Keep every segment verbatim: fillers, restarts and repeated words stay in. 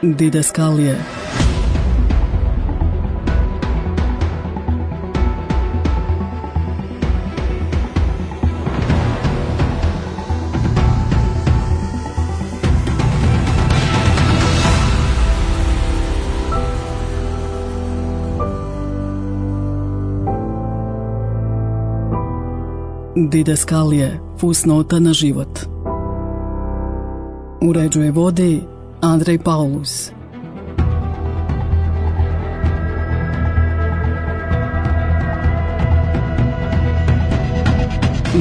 Didaskalije. Didaskalije, fusnota na život. Uređuje vodi Andrej Paulus.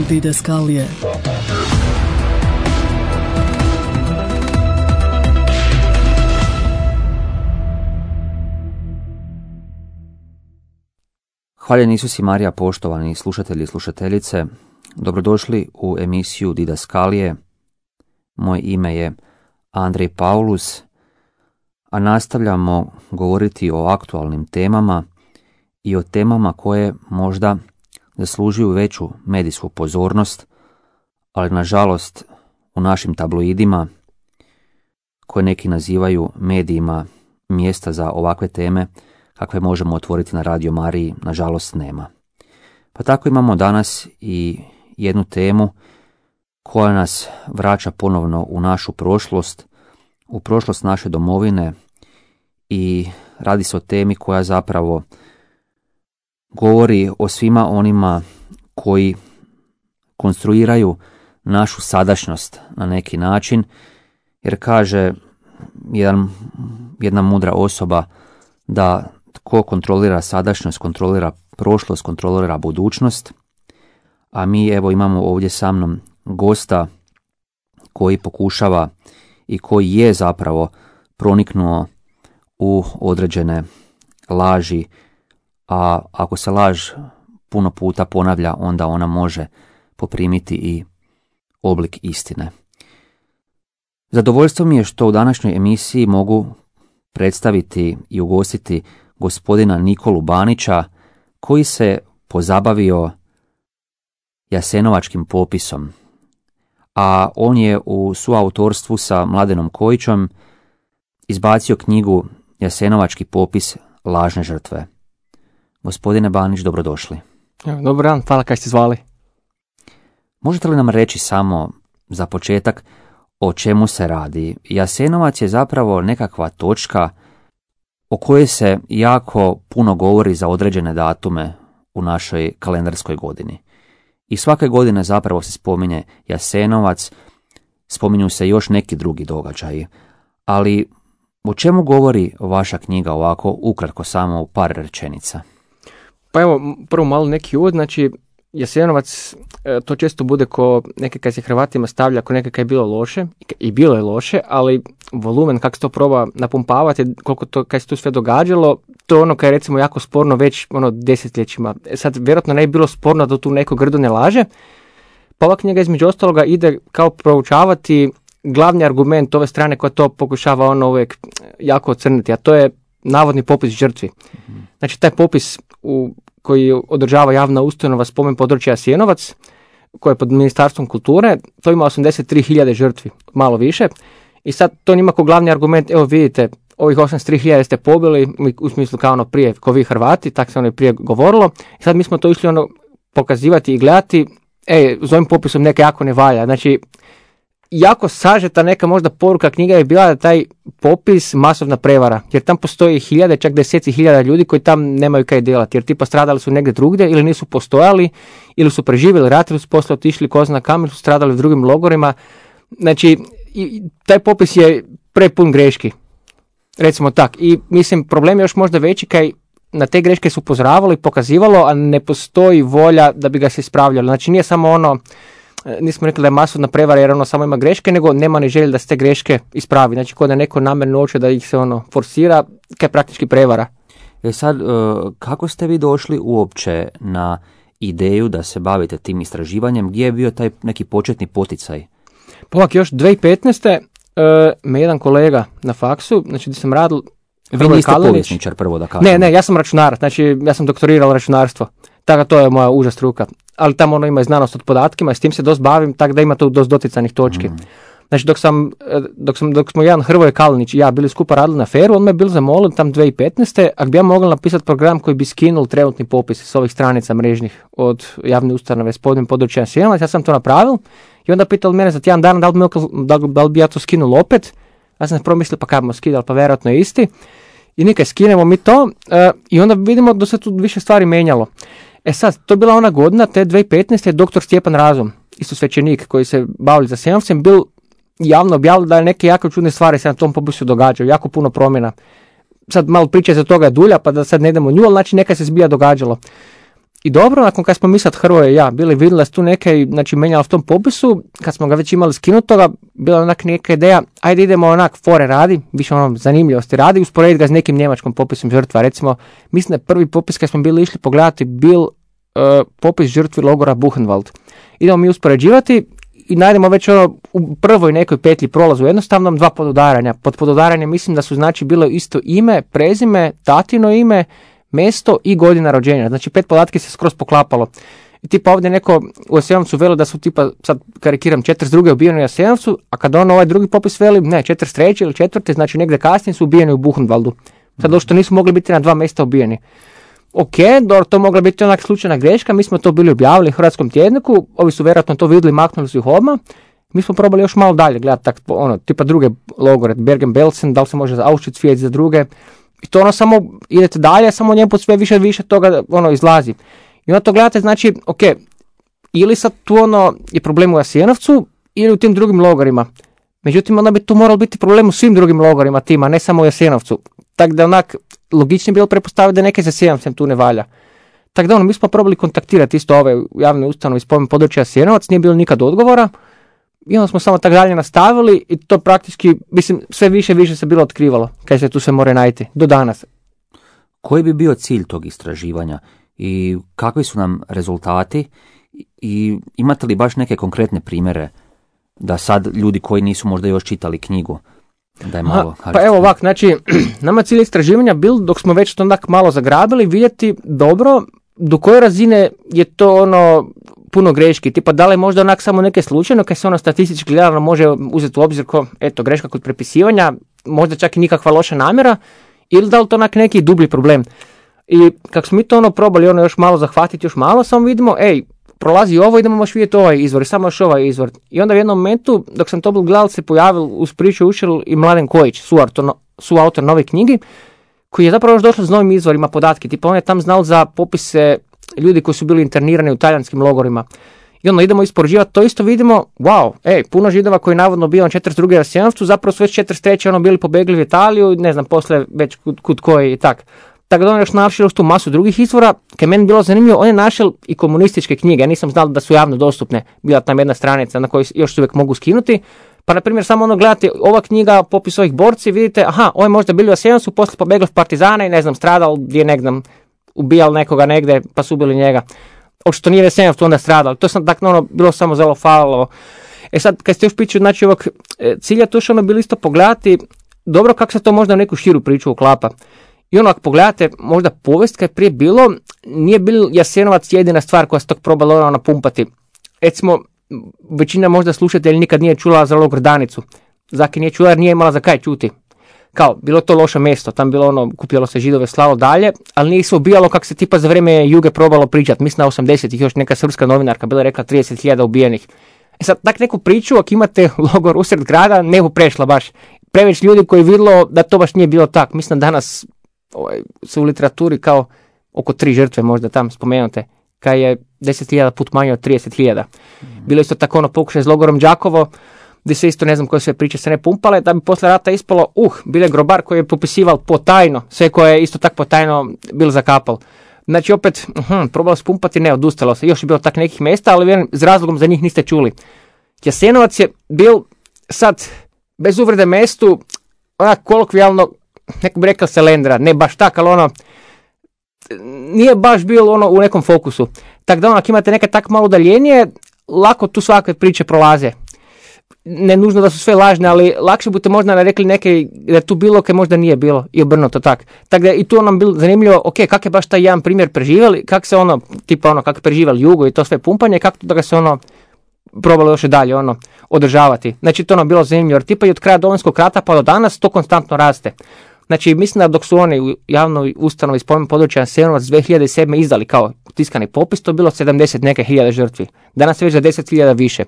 Didaskalije. Hvaljen Isus i Marija, poštovani slušatelji i slušateljice. Dobrodošli u emisiju Didaskalije. Moje ime je Andrej Paulus, a nastavljamo govoriti o aktualnim temama i o temama koje možda zaslužuju veću medijsku pozornost, ali nažalost u našim tabloidima, koje neki nazivaju medijima mjesta za ovakve teme, kakve možemo otvoriti na Radio Mariji, nažalost nema. Pa tako imamo danas i jednu temu koja nas vraća ponovno u našu prošlost, u prošlost naše domovine, i radi se o temi koja zapravo govori o svima onima koji konstruiraju našu sadašnjost na neki način, jer kaže jedan, jedna mudra osoba da tko kontrolira sadašnjost, kontrolira prošlost, kontrolira budućnost, a mi evo imamo ovdje sa mnom gosta koji pokušava i koji je zapravo proniknuo u određene laži, a ako se laž puno puta ponavlja, onda ona može poprimiti i oblik istine. Zadovoljstvo mi je što u današnjoj emisiji mogu predstaviti i ugostiti gospodina Nikolu Banića, koji se pozabavio jasenovačkim popisom, a on je u suautorstvu sa Mladenom Kojićom izbacio knjigu Jasenovački popis lažne žrtve. Gospodine Banić, dobrodošli. Dobar dan, hvala kaj ste zvali. Možete li nam reći samo za početak o čemu se radi? Jasenovac je zapravo nekakva točka o kojoj se jako puno govori za određene datume u našoj kalendarskoj godini. I svake godine zapravo se spominje Jasenovac, spominju se još neki drugi događaji. Ali o čemu govori vaša knjiga ovako ukratko, samo u par rečenica? Pa evo, prvo malo neki uvod, znači Jasenovac, to često bude ko neke kad se Hrvatima stavlja ko neke kad je bilo loše, i bilo je loše, ali volumen kako se to proba napumpavati, koliko to kad se tu sve događalo, to je ono kad je recimo jako sporno već ono desetljećima. Sad vjerojatno ne bi bilo sporno da tu neko grdo ne laže, pa ova knjiga između ostaloga ide kao proučavati glavni argument ove strane koja to pokušava ono uvijek jako ocrniti, a to je navodni popis žrtvi. Znači taj popis u koji održava javna ustanova spomen područja Jasenovac, koje je pod Ministarstvom kulture, to ima osamdeset tri hiljade žrtvi, malo više. I sad to njima kao glavni argument, evo vidite, ovih osamdeset tri hiljade ste pobili, u smislu kao ono prije, ko vi Hrvati, tako se ono prije govorilo. I sad mi smo to išli ono pokazivati i gledati, ej, s ovim popisom neka jako ne valja. Znači, jako sažeta neka možda poruka knjiga je bila da taj popis masovna prevara, jer tam postoji hiljade, čak deseci hiljada ljudi koji tam nemaju kaj delati, jer tipa stradali su negdje drugdje ili nisu postojali, ili su preživjeli rat, ili su poslije otišli ko zna kam, ili su stradali u drugim logorima. Znači, i, taj popis je prepun greški, recimo tak. I mislim, problem je još možda veći kaj na te greške su upozoravalo i pokazivalo, a ne postoji volja da bi ga se ispravljalo. Znači, nije samo ono, nismo rekli da je masovna prevara jer ono samo ima greške, nego nema ni želje da se te greške ispravi. Znači, kod da neko namjerno hoće da ih se ono forsira, kaj praktički prevara. E sad, kako ste vi došli uopće na ideju da se bavite tim istraživanjem? Gdje je bio taj neki početni poticaj? Pa ovak, još dvije tisuće petnaeste. Uh, me jedan kolega na faksu, znači gdje sam radil... Vi niste povjesničar, prvo da kažem. Ne, ne, ja sam računar, znači ja sam doktorirao računarstvo. Tako to je moja uža struka. Ali tamo ono ima i znanost od podatkima i s tim se dosta bavim, tako da ima tu dosta doticajnih točki. Mm. Znači, dok sam, dok sam, dok smo jedan Hrvoje Kalinić i ja bili skupa radili na aferu, on me je bil zamolio tam dvije tisuće petnaeste. ako bi ja mogla napisati program koji bi skinul trenutni popis s ovih stranica mrežnih od javne ustanove s podnim područja Jasenovac, ja sam to napravil i onda pitao mene za tjedan dana da li, bi, da, da li bi ja to skinul opet. Ja sam promislio pa kad bomo skidali, pa vjerojatno je isti. I nikaj skinemo mi to uh, i onda vidimo da se tu više stvari menjalo. E sad, to je bila ona godina, te dvije tisuće petnaeste. je doktor Stjepan Razum, isto svećenik koji se bavili za Jasenovcem, bil javno objavili da je neke jako čudne stvari se na tom popisu događaju, jako puno promjena. Sad malo priče za toga je dulja, pa da sad ne idemo nju, ali znači neka se zbilja događalo. I dobro, nakon kad smo mi sad Hrvoje i ja bili vidjeli da se tu neke, znači menjalo v tom popisu, kad smo ga već imali skinutoga, bila onak neka ideja, ajde idemo onak fore radi, više ono zanimljivosti radi, usporediti ga s nekim njemačkom popisom žrtva. Recimo, mislim da je prvi popis kad smo bili išli pogledati bil uh, popis žrtvi logora Buchenwald. Idemo mi uspoređivati i najdemo već ono u prvoj nekoj petlji prolazu jednostavnom dva podudaranja. Pod podudaranjem mislim da su znači bilo isto ime, prezime, tatino ime, mjesto i godina rođenja. Znači pet podatke se skroz poklapalo. I tipa ovdje neko u Jasenovcu veli da su tipa, sad karikiram, četrdeset druge ubijeni u Jasenovcu, a kad on ovaj drugi popis veli, ne, četrdeset treće ili četvrte, znači negdje kasnije su ubijeni u Buchenwaldu. Sad došto nisu mogli biti na dva mjesta ubijeni. Ok, dobro, to mogla biti onak slučajna greška, mi smo to bili objavili u Hrvatskom tjedniku, ovi su vjerojatno to vidjeli, maknuli su ih odmah. Mi smo probali još malo dalje gledati, tak, ono, tipa druge logore, Bergen-Belsen, da li se može za Auschwitz vidjeti za druge. I to ono samo idete dalje, samo njemu sve više više toga ono izlazi. I onda to gledate, znači, ok, ili sad tu ono je problem u Jasenovcu ili u tim drugim logorima. Međutim, onda bi tu moralo biti problem u svim drugim logorima tima, ne samo u Jasenovcu. Tako da onak logičnije bilo prepostaviti da neke za Jasenovcem tu ne valja. Tako da ono, mi smo probali kontaktirati isto ove javne ustanove iz područja Jasenovac, nije bilo nikad odgovora. I onda smo samo tako dalje nastavili i to praktički, mislim, sve više više se bilo otkrivalo, kaj se tu sve more najti, do danas. Koji bi bio cilj tog istraživanja i kakvi su nam rezultati i imate li baš neke konkretne primjere da sad ljudi koji nisu možda još čitali knjigu, da je malo... Aha, pa evo ovak, znači, nama cilj istraživanja bil, dok smo već to onak malo zagrabili, vidjeti dobro do koje razine je to ono puno greški, tipa da li možda onak samo neke slučajno, kad se ono statistički gledano može uzeti u obzir ko, eto, greška kod prepisivanja, možda čak i nikakva loša namjera, ili da li to onak neki dublji problem. I kako smo mi to ono probali ono još malo zahvatiti, još malo, samo vidimo, ej, prolazi ovo, idemo još vidjeti ovaj izvor i samo još ovaj izvor. I onda u jednom momentu, dok sam to bil gledal, se pojavil uz priču Ušel i Mladen Kojić, suautor, suautor nove knjige, koji je zapravo još došao s novim izvorima podatke. Tipa on je tam znal za popise ljudi koji su bili internirani u talijanskim logorima. I onda idemo ispoređivati, to isto vidimo, wow, ej, puno Židova koji je navodno bio na četrdeset druge Jasenovcu, zapravo su već četrdeset treće ono bili pobegli u Italiju, ne znam, poslije već kud, kud koji i tak. Tako da on još našao tu masu drugih izvora, kaj meni bilo zanimljivo, on je našao i komunističke knjige, ja nisam znao da su javno dostupne, bila tam jedna stranica na kojoj još se uvijek mogu skinuti, pa na primjer samo ono gledate ova knjiga, popis ovih borci, vidite, aha, ovo je možda bili u Jasenovcu, poslije pobegli v partizane i ne znam, stradal gdje ne znam, ubijal nekoga negdje, pa su ubili njega. Očito nije Jasenovcu onda stradal, to sam tako ono, bilo samo zelo falilo. E sad, kad ste još pričali, znači ovog cilja, to što ono bilo isto pogledati, dobro kako se to možda u neku širu priču uklapa. I ono, ako pogledate, možda povijest kad je prije bilo, nije bil Jasenovac jedina stvar koja se tog probala ono napumpati. Recimo, većina možda slušatelji nikad nije čula za logor Danicu. Zaki nije čula jer nije imala za kaj čuti. Kao, bilo to loše mjesto, tam bilo ono, kupilo se Židove, slalo dalje, ali nije se ubijalo kako se tipa za vrijeme Juge probalo pričati. Mislim na osamdesetih još neka srpska novinarka bila rekla trideset hiljada ubijenih. E sad, tak neku priču, ako imate logor usred grada, ne bu prešla baš. Preveć ljudi koji vidjelo da to baš nije bilo tak. Mislim danas ovaj, su u literaturi kao oko tri žrtve možda tam spomenute, kaj je deset hiljada put manje od trideset hiljada. Mm-hmm. Bilo isto tako ono pokušaj s logorom Đakovo, gdje se isto ne znam koje sve priče se ne pumpale, da bi posle rata ispalo, uh, bile grobar koji je popisival potajno, sve koje je isto tako potajno bil zakapal. Znači opet, uh, probalo spumpati, ne, odustalo se, još je bilo tak nekih mjesta, ali vjerujem, s razlogom za njih niste čuli. Jasenovac je bil sad, bez uvrede mjestu, onak kolokvijalno, neko bi rekao Selendra, ne baš tak, ali ono, nije baš bilo ono u nekom fokusu. Tako da ono, ako imate neke tak malo udaljenije, lako tu svakve priče prolaze. Ne nužno da su sve lažne, ali lakše budete možda rekli neke da je tu bilo, kaj možda nije bilo i obrnuto tak. Tako da i tu nam bilo zanimljivo, ok, kak je baš taj jedan primjer preživjeli, kak se ono, tipa ono, kak je preživjeli Jugo i to sve pumpanje, kako da ga se ono probalo još i dalje ono, održavati. Znači to ono bilo zanimljivo, jer tipa i od kraja Domovinskog rata pa do danas to konstantno raste. Znači mislim da dok su oni u javnoj ustanovi spomen područja Jasenovac dvije hiljade sedme izdali kao tiskani popis, to je bilo sedamdeset neke hiljada žrtvi. Danas je već za deset hiljada više.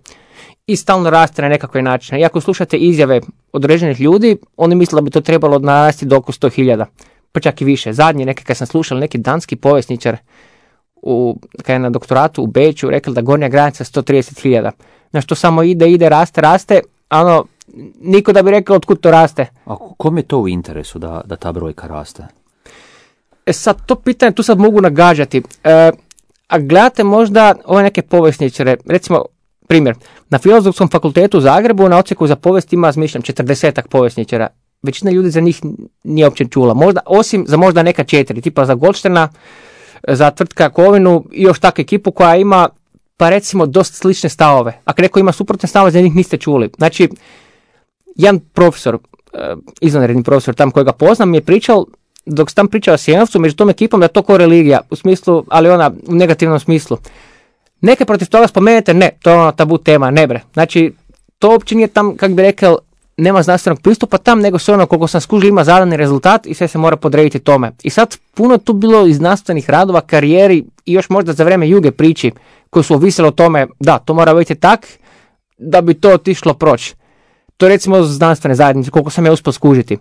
I stalno raste na nekakve načine. I ako slušate izjave određenih ljudi, oni misle da bi to trebalo narasti do oko sto hiljada. Pa čak i više. Zadnji neki, kad sam slušao, neki danski povjesničar u, kad je na doktoratu u Beču rekao da gornja granica sto trideset hiljada. Znači to samo ide, ide, raste, raste, a ono, niko da bi rekao otkud to raste. A kom je to u interesu da, da ta brojka raste? E sad, to pitanje, tu sad mogu nagađati. E, a gledate možda ove neke povjesničare, recimo, primjer, na Filozofskom fakultetu u Zagrebu na odsjeku za povijest ima, zmišljam, četrdesetak povjesničara. Većina ljudi za njih nije uopće čula. Možda, osim za možda neka četiri, tipa za Goldštena, za Tvrtka Kovinu i još takvu ekipu koja ima, pa recimo, dosta slične stavove. Ako neko ima suprotne stavove, za njih niste čuli. Znači, jedan profesor, izvanredni profesor tam kojega poznam, mi je pričao, dok sam tam pričao o Jasenovcu, među tom ekipom da je to kao religija, u smislu, ali ona u negativnom smislu. Neke protiv toga spomenete, ne, to je ono tabu tema, ne bre. Znači, to uopće nije tam, kako bi rekao, nema znanstvenog pristupa tam, nego se ono, koliko sam skužio, ima zadani rezultat i sve se mora podrediti tome. I sad puno tu bilo iz znanstvenih radova, karijeri i još možda za vrijeme Juge priči koji su ovisili o tome, da, to mora biti tak da bi to otišlo proći. To je recimo znanstvene zajednice, koliko sam ja uspio skužiti.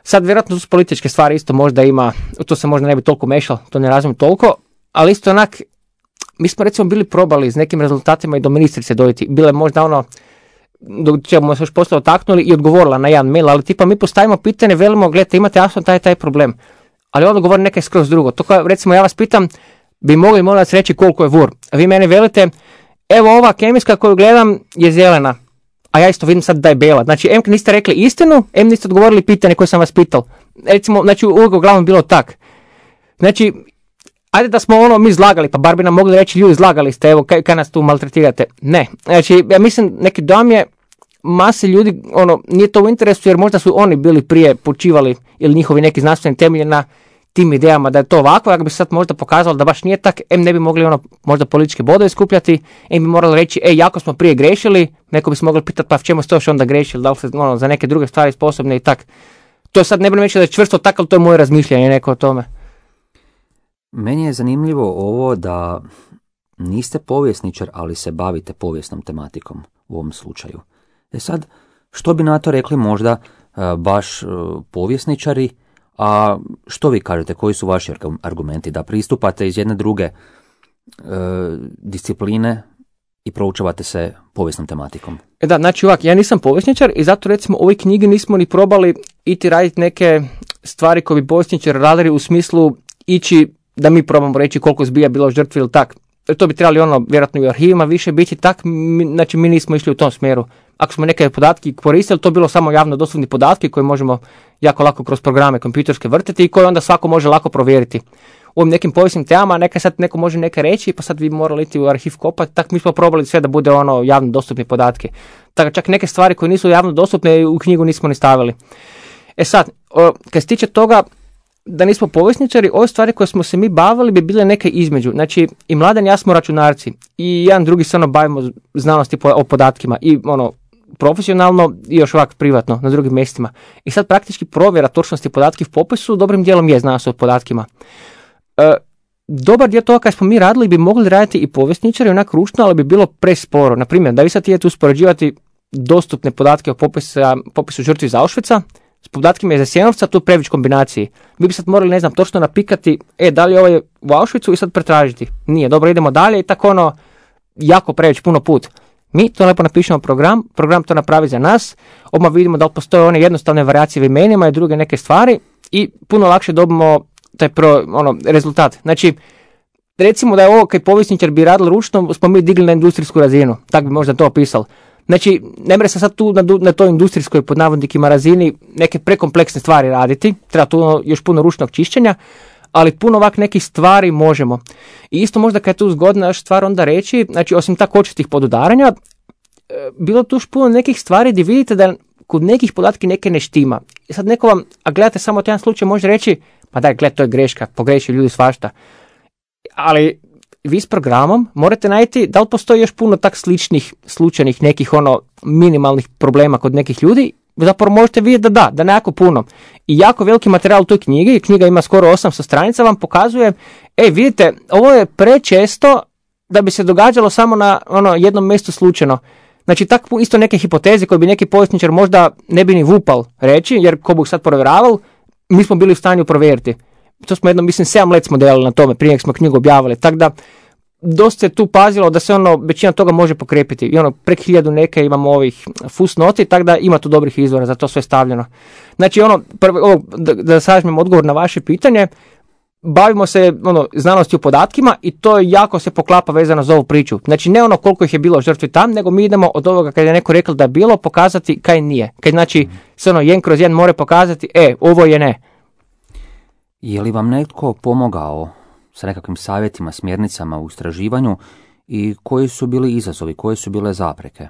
Sad vjerojatno su političke stvari isto možda ima, to se možda ne bi toliko mešalo, to ne razumijem toliko, ali isto onak, mi smo recimo bili probali s nekim rezultatima i do ministrice dojiti. Bile možda ono, do čemu se još poslije otaknuli i odgovorila na jedan mail, ali tipa mi postavimo pitanje, velimo, gledajte, imate jasno taj taj problem. Ali on govori nekaj skroz drugo. To kao, recimo, ja vas pitam, bi mogli molim vas reći koliko je vur. A vi meni velite, evo ova kemijska koju gledam je zelena, a ja isto vidim sad da je bela. Znači, em niste rekli istinu, em niste odgovorili pitanje koje sam vas pitao. Recimo, znači, uvijek uglavnom bilo tak. Znači, ajde da smo ono mi zlagali, pa bar bi nam mogli reći, ljudi, zlagali ste, evo, kaj, kaj nas tu maltretirate. Ne, znači, ja mislim, neki dojam je, mase ljudi, ono, nije to u interesu, jer možda su oni bili prije počivali, ili njihovi neki znanstveni temelji na tim idejama da je to ovako, ako bi se sad možda pokazalo da baš nije tak, em ne bi mogli ono, možda političke bodove skupljati, em bi morali reći, ej, jako smo prije grešili, neko bi se mogli pitati, pa v čemu ste još onda grešili, da li ste ono, za neke druge stvari sposobni i tak. To sad ne bi reći da je čvrsto tak, ali to je moje razmišljanje neko o tome. Meni je zanimljivo ovo da niste povjesničar, ali se bavite povijesnom tematikom u ovom slučaju. E sad, što bi na to rekli možda uh, baš uh, povjesničari, a što vi kažete, koji su vaši argumenti da pristupate iz jedne druge uh, discipline i proučavate se povijesnom tematikom? E da, znači ovak, ja nisam povjesničar i zato recimo u ovoj knjigi nismo ni probali iti raditi neke stvari koje bi povjesničari radili u smislu ići da mi probamo reći koliko zbija bilo žrtvi ili tak. To bi trebali ono, vjerojatno i u arhivima više biti tak, mi, znači mi nismo išli u tom smjeru. Ako smo neke podatke koristili, to bilo samo javno dostupni podatke koje možemo jako lako kroz programe kompjuterske vrtiti i koje onda svako može lako provjeriti. U ovim nekim povijesnim temama neka sad neko može neka reći, pa sad vi morali iti u arhiv kopati, tak mi smo probali sve da bude ono javno dostupni podatke. Tako čak neke stvari koje nisu javno dostupne u knjigu nismo ni stavili. E sad, o, kad se tiče toga da nismo povjesničari, ove stvari koje smo se mi bavili bi bile neke između. Znači, i Mladen i ja smo računarci i jedan drugi se ono bavimo znanosti o podatkima i ono profesionalno i još ovak privatno na drugim mjestima. I sad praktički provjera točnosti podatki u popisu dobrim dijelom je znanost o podatkima. E, dobar dio toga kad smo mi radili bi mogli raditi i povjesničari onak ručno, ali bi bilo presporo. Naprimjer, da vi sad idete uspoređivati dostupne podatke o popisa, popisu žrtvi iz Auschwitza s podatkima iz Jasenovca, tu prević kombinaciji. Vi bi sad morali, ne znam, točno napikati, e, da li je ovaj u Auschwitzu i sad pretražiti. Nije, dobro, idemo dalje i tako ono, jako prević puno put. Mi to lepo napišemo program, program to napravi za nas, odmah vidimo da li postoje one jednostavne varijacije u imenima i druge neke stvari i puno lakše dobimo taj pro, ono, rezultat. Znači, recimo da je ovo kad povjesničar bi radili ručno, smo mi digli na industrijsku razinu, tako bi možda to opisali. Znači, ne mre se sad tu na, na toj industrijskoj pod navodnikima razini neke prekompleksne stvari raditi, treba tu još puno ručnog čišćenja, ali puno ovak nekih stvari možemo. I isto možda kad je tu zgodna još stvar onda reći, znači osim tako očitih podudaranja, bilo tu još puno nekih stvari gdje vidite da kod nekih podatki neke ne štima. I sad neko vam, a gledate samo jedan slučaj, može reći, pa daj, gled, to je greška, pogreši ljudi svašta. Ali vi s programom morate najti da li postoji još puno tak sličnih slučajnih nekih ono minimalnih problema kod nekih ljudi. Zapravo možete vidjeti da da, da ne jako puno. I jako veliki materijal u toj knjigi, knjiga ima skoro osamsto stranica, vam pokazuje, e vidite, ovo je prečesto da bi se događalo samo na ono jednom mjestu slučajno. Znači, tako isto neke hipoteze koje bi neki povjesničar možda ne bi ni vupal reći, jer ko bi sad provjeravali, mi smo bili u stanju provjeriti. To smo jedno, mislim, sedam let smo delali na tome, prije nek smo knjigu objavili. Tako da, dosta se tu pazilo da se ono, većina toga može pokrepiti. I ono, prek hiljadu neke imamo ovih fusnoti, tako da ima tu dobrih izvora za to sve stavljeno. Znači, ono, prvo, ovo, da, da sažmem odgovor na vaše pitanje, bavimo se ono, znanosti u podatkima i to jako se poklapa vezano za ovu priču. Znači, ne ono koliko ih je bilo žrtvi tam, nego mi idemo od ovoga kad je neko rekao da je bilo, pokazati kaj nije. Kad znači, se ono, jedan kroz jedan more pokazati, e, ovo je ne. Je li vam netko pomogao sa nekakvim savjetima, smjernicama u istraživanju i koji su bili izazovi, koje su bile zapreke?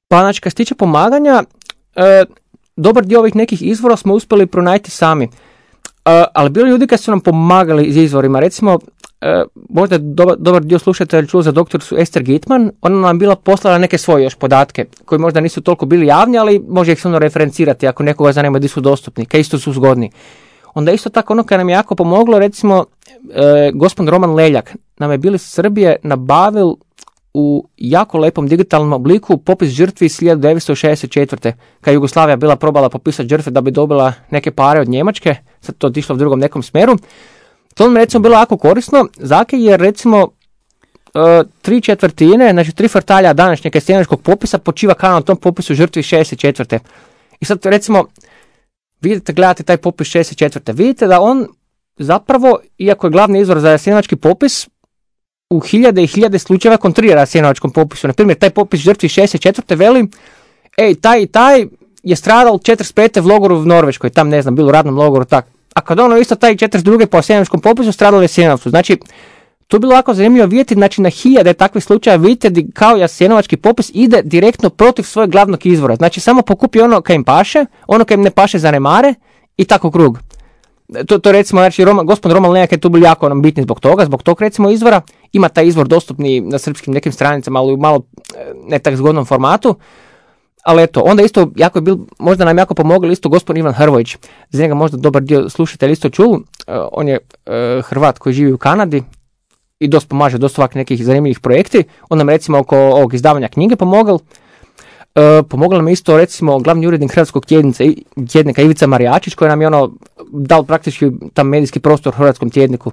Pa znači, kad se tiče pomaganja, e, dobar dio ovih nekih izvora smo uspjeli pronaći sami. E, ali bili ljudi kad su nam pomagali iz izvorima. Recimo, e, možda dobar, dobar dio slušatelja čuo za doktoricu Ester Gitman, ona nam bila poslala neke svoje još podatke, koji možda nisu toliko bili javni, ali može ih se ono referencirati ako nekoga zanima gdje su dostupni, kaj isto su zgodni. Onda isto tako ono kad nam je jako pomoglo, recimo, e, gospodin Roman Leljak nam je bili iz Srbije nabavil u jako lepom digitalnom obliku popis žrtvi iz hiljadu devetsto šezdeset četvrte. Kad Jugoslavija bila probala popisati žrtve da bi dobila neke pare od Njemačke, sad to otišlo u drugom nekom smjeru. To nam je recimo bilo jako korisno, zake jer recimo e, tri četvrtine, znači tri kvartalja današnjeg sjeničkog popisa počiva kao na tom popisu žrtvi iz šezdeset četvrte. I sad recimo vidite, gledate taj popis šezdeset četvrte. Vidite da on zapravo, iako je glavni izvor za jasenovački popis, u hiljade i hiljade slučajeva kontrira jasenovačkom popisu. Na primjer, taj popis žrtvi šezdeset četvrte veli, ej, taj i taj je stradal četrdeset pete v logoru u Norveškoj, tam ne znam, bilo u radnom logoru, tak. A kad ono isto taj četrdeset druge po jasenovačkom popisu stradal u Jasenovcu. Znači, to je bilo jako zanimljivo vidjeti, znači na hiljade takvih slučajeva vidite da kao jasenovački popis ide direktno protiv svojeg glavnog izvora. Znači samo pokupi ono kaj im paše, ono kaj im ne paše zanemare i tako krug. To, to recimo, znači Roman, gospodin Roman Leljak je tu bil jako nam bitni zbog toga, zbog tog recimo izvora. Ima taj izvor dostupni na srpskim nekim stranicama, ali u malo ne tak zgodnom formatu. Ali eto, onda isto jako je bil, možda nam jako pomogli isto gospodin Ivan Hrvojić. Za njega možda dobar dio slušatelja isto čuo. Uh, on je uh, Hrvat koji živi u Kanadi i dosta pomaže, dosta ovak nekih zanimljivih projekti. On nam recimo oko ovog izdavanja knjige pomogao. E, pomogla nam isto recimo glavni urednik Hrvatskog tjednica, tjednika Ivica Marijačić koji nam je ono dal praktički tam medijski prostor u Hrvatskom tjedniku.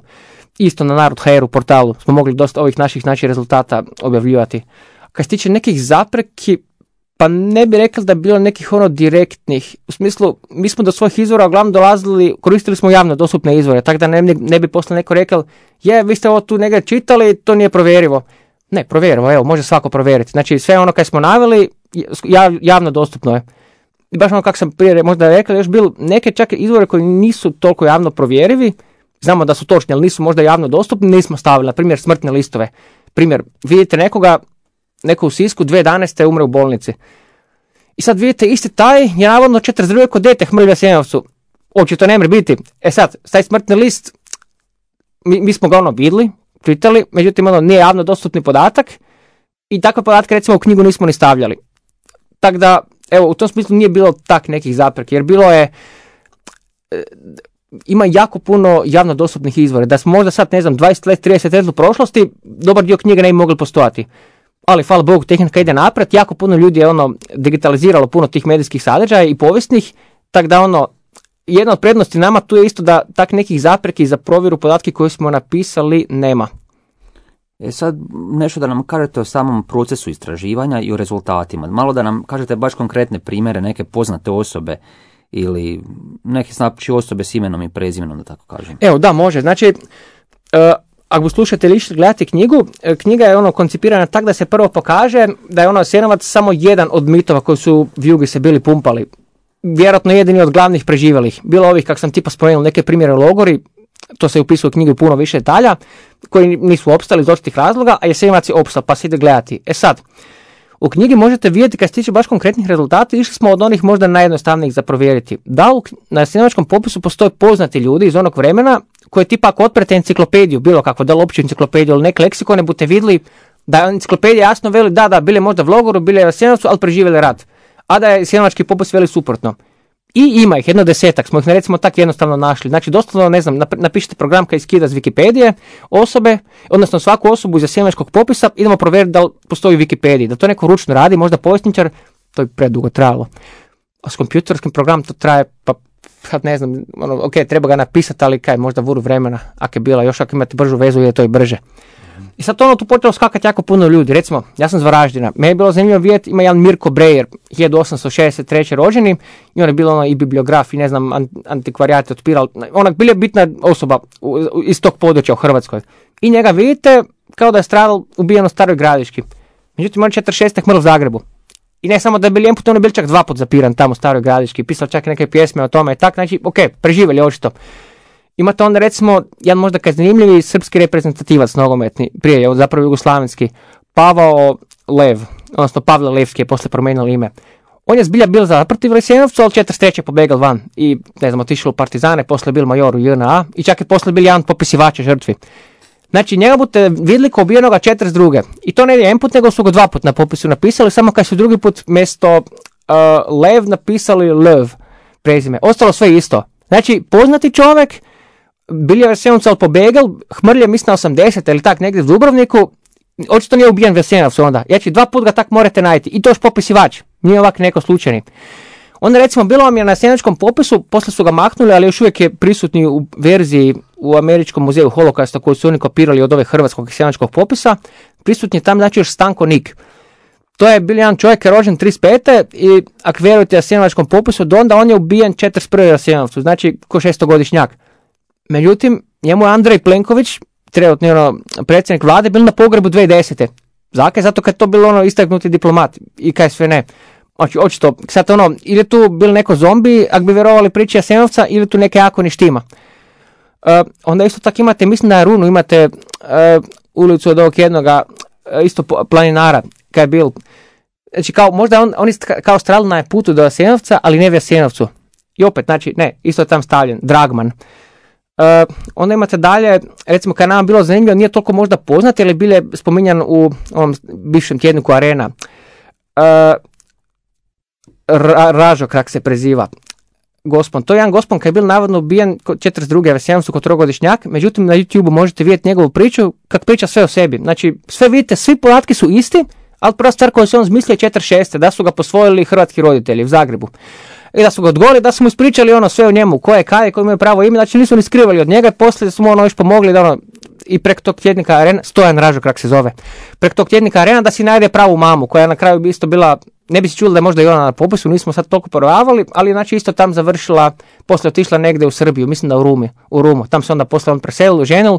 Isto na Narod punkt hr u portalu smo mogli dosta ovih naših znači, rezultata objavljivati. Kad se tiče nekih zapreki, pa ne bi rekli da je bilo nekih ono direktnih. U smislu, mi smo do svojih izvora uglavnom dolazili, koristili smo javno dostupne izvore, tako da ne, ne bi posle neko rekao, je, vi ste ovo tu negdje čitali, to nije provjerivo. Ne, provjerivo, evo, može svako provjeriti. Znači, sve ono kaj smo naveli, javno dostupno je. I baš ono kako sam prije možda rekao, još bil neke čak izvore koji nisu toliko javno provjerivi, znamo da su točni, ali nisu možda javno dostupni, nismo stavili, na primjer, smrtne listove. Primjer, vidite nekoga, neko u Sisku dvije tisuće jedanaeste umre u bolnici. I sad vidite, isti taj je navodno četrdeset druge kod dete mrlja Jasenovcu. Očito ne mre biti. E sad, taj smrtni list, mi, mi smo ga ono vidli, čitali, međutim ono nije javno dostupni podatak i takve podatke recimo u knjigu nismo ni stavljali. Tako da, evo, u tom smislu nije bilo tak nekih zapreka, jer bilo je, e, ima jako puno javno dostupnih izvora. Da smo možda sad, ne znam, dvadeset let, trideset let u prošlosti, dobar dio knjige ne bi mogli postojati. Ali, hvala Bogu, tehnika ide naprijed, jako puno ljudi je ono digitaliziralo puno tih medijskih sadržaja i povijesnih, tako da ono, jedna od prednosti nama tu je isto da tak nekih zapreki za provjeru podatke koje smo napisali nema. E sad, nešto da nam kažete o samom procesu istraživanja i o rezultatima. Malo da nam kažete baš konkretne primjere, neke poznate osobe ili neke znači osobe s imenom i prezimenom, da tako kažem. Evo, da, može. Znači, uh, ako slušate ili gledate knjigu, knjiga je ono koncipirana tako da se prvo pokaže da je ono Jasenovac samo jedan od mitova koji su v Jugi se bili pumpali. Vjerojatno jedini od glavnih preživelih. Bilo ovih, kako sam tipa spomenuo, neke primjere logori, to se upisuje u knjigu puno više detalja, koji nisu opstali iz očitih razloga, a Jasenovac je opstao, pa se ide gledati. E sad, u knjigi možete vidjeti kad se tiče baš konkretnih rezultata, išli smo od onih možda najjednostavnijih za provjeriti. Da u, na Jasenovačkom popisu postoje poznati ljudi iz onog vremena koje tipa ako otprete enciklopediju, bilo kako, da li opću enciklopediju ili neke leksikone, budete vidjeli da enciklopedija jasno veli da, da, bile možda v logoru, bile u Jasenovcu, ali preživjeli rat. A da je jasenovački popis veli suprotno. I ima ih, jedno desetak, smo ih recimo tako jednostavno našli. Znači, doslovno, ne znam, napišite program koji skida iz Wikipedije osobe, odnosno svaku osobu iz jasenovačkog popisa, idemo provjeriti da li postoji u Wikipediji. Da to neko ručno radi, možda povjesničar, to je predugo trajalo. A s kompjuterskim programom to traje, pa sad ne znam, ono, ok, treba ga napisati, ali kaj, možda vuru vremena, ako je bila, još ako imate bržu vezu, je to i brže. I sad ono tu počelo skakati jako puno ljudi. Recimo, ja sam iz Varaždina. Meni je bilo zanimljivo vidjeti, ima jedan Mirko Brejer, hiljadu osamsto šezdeset treće rođeni, i on je bilo ono i bibliograf, i ne znam, antikvarijat otpiral, onak bila bitna osoba iz tog područja u Hrvatskoj. I njega vidite kao da je stradal ubijen u Staroj Gradiški. Međutim, on četrdeset šeste mrl u Zagrebu. I ne samo da je bil jedan put, on je bil čak dva put zapiran tamo u Staroj Gradiški, pisao čak neke pjesme o tome i tak, znači, ok, preživjeli očito. Imate onda recimo, jedan možda kaj zanimljivi srpski reprezentativac nogometni, prije je zapravo jugoslavenski, Pavao Lev, odnosno Pavle Levski je posle promijenio ime. On je zbilja bil zaprti u Jasenovcu, ali četrdeset treće pobegal van i, ne znam, otišao u Partizane, posle bil major u J N A i čak je posle bil jedan popisivača žrtvi. Znači, njega budete vidjeli kao ubijenoga četrdeset druge. I to ne je jedan put, nego su ga dva put na popisu napisali, samo kad su drugi put mjesto uh, Lev napisali Lev prezime. Ostalo sve isto. Znači, poznati čovjek, bili je u Jasenovcu, ali pobegal, Hmrlje mislim na osamdeset ili tak negdje u Dubrovniku, očito nije ubijen u Jasenovcu onda. Znači, dva put ga tak morate najti. I to još popisivač, nije ovak neko slučajni. Onda recimo bilo vam je na jasenovačkom popisu, poslije su ga maknuli, ali još uvijek je prisutni u verziji u Američkom muzeju holokausta koju su oni kopirali od ove hrvatskog jasenovačkog popisa. Prisutni je tam znači još Stanko Nik. To je bil jedan čovjek je rođen trideset pete i ako vjerujete jasenovačkom popisu, do onda on je ubijen četrdeset prve u Jasenovcu, znači ko šestogodišnjak. Međutim, njemu je Andrej Plenković, trenutni ono, predsjednik vlade, bil na pogrebu dvije tisuće desete. Zakaj? Zato kad je to bilo ono istaknuti diplomat i kaj sve ne. Znači, očito, sad ono, ili tu bil neko zombi, ako bi vjerovali priči Jasenovca, ili tu neke jako ništima. Uh, onda isto tako imate, mislim na Runu, imate uh, ulicu od ovog jednoga, uh, isto planinara, kaj je bil. Znači, kao, možda on, oni kao strali na putu do Jasenovca, ali ne u Jasenovcu. I opet, znači, ne, isto je tam stavljen, Dragman. Uh, onda imate dalje, recimo kad nam bilo zanimljivo, nije toliko možda poznat, jer je bile spominjan u ovom bivšem tjedniku Arena. Uh, Ra, Ražo, kak se preziva. Gospon. To je jedan gospon koji je bil navodno ubijen četrdeset druge u Jasenovcu kao trogodišnjak, međutim na YouTubeu možete vidjeti njegovu priču, kak priča sve o sebi. Znači, sve vidite, svi podatki su isti, ali prva stvar koju se on zmislio je četrdeset šeste da su ga posvojili hrvatski roditelji u Zagrebu. I da su ga odgovorili, da su mu ispričali ono sve o njemu, ko je, kaj je, koji imaju pravo ime, znači nisu ni skrivali od njega i poslije su mu ono još pomogli da ono, i preko tog tjednika Arena, Stojan Ražo kak se zove, preko tog tjednika Arena da si najde pravu mamu, koja je na kraju isto bila, ne bi se čuli da je možda i ona na popisu, nismo sad toliko provavali, ali znači isto tam završila, poslije otišla negdje u Srbiju, mislim da u Rumi, u Rumu, tam se onda poslije on preselil, ženil.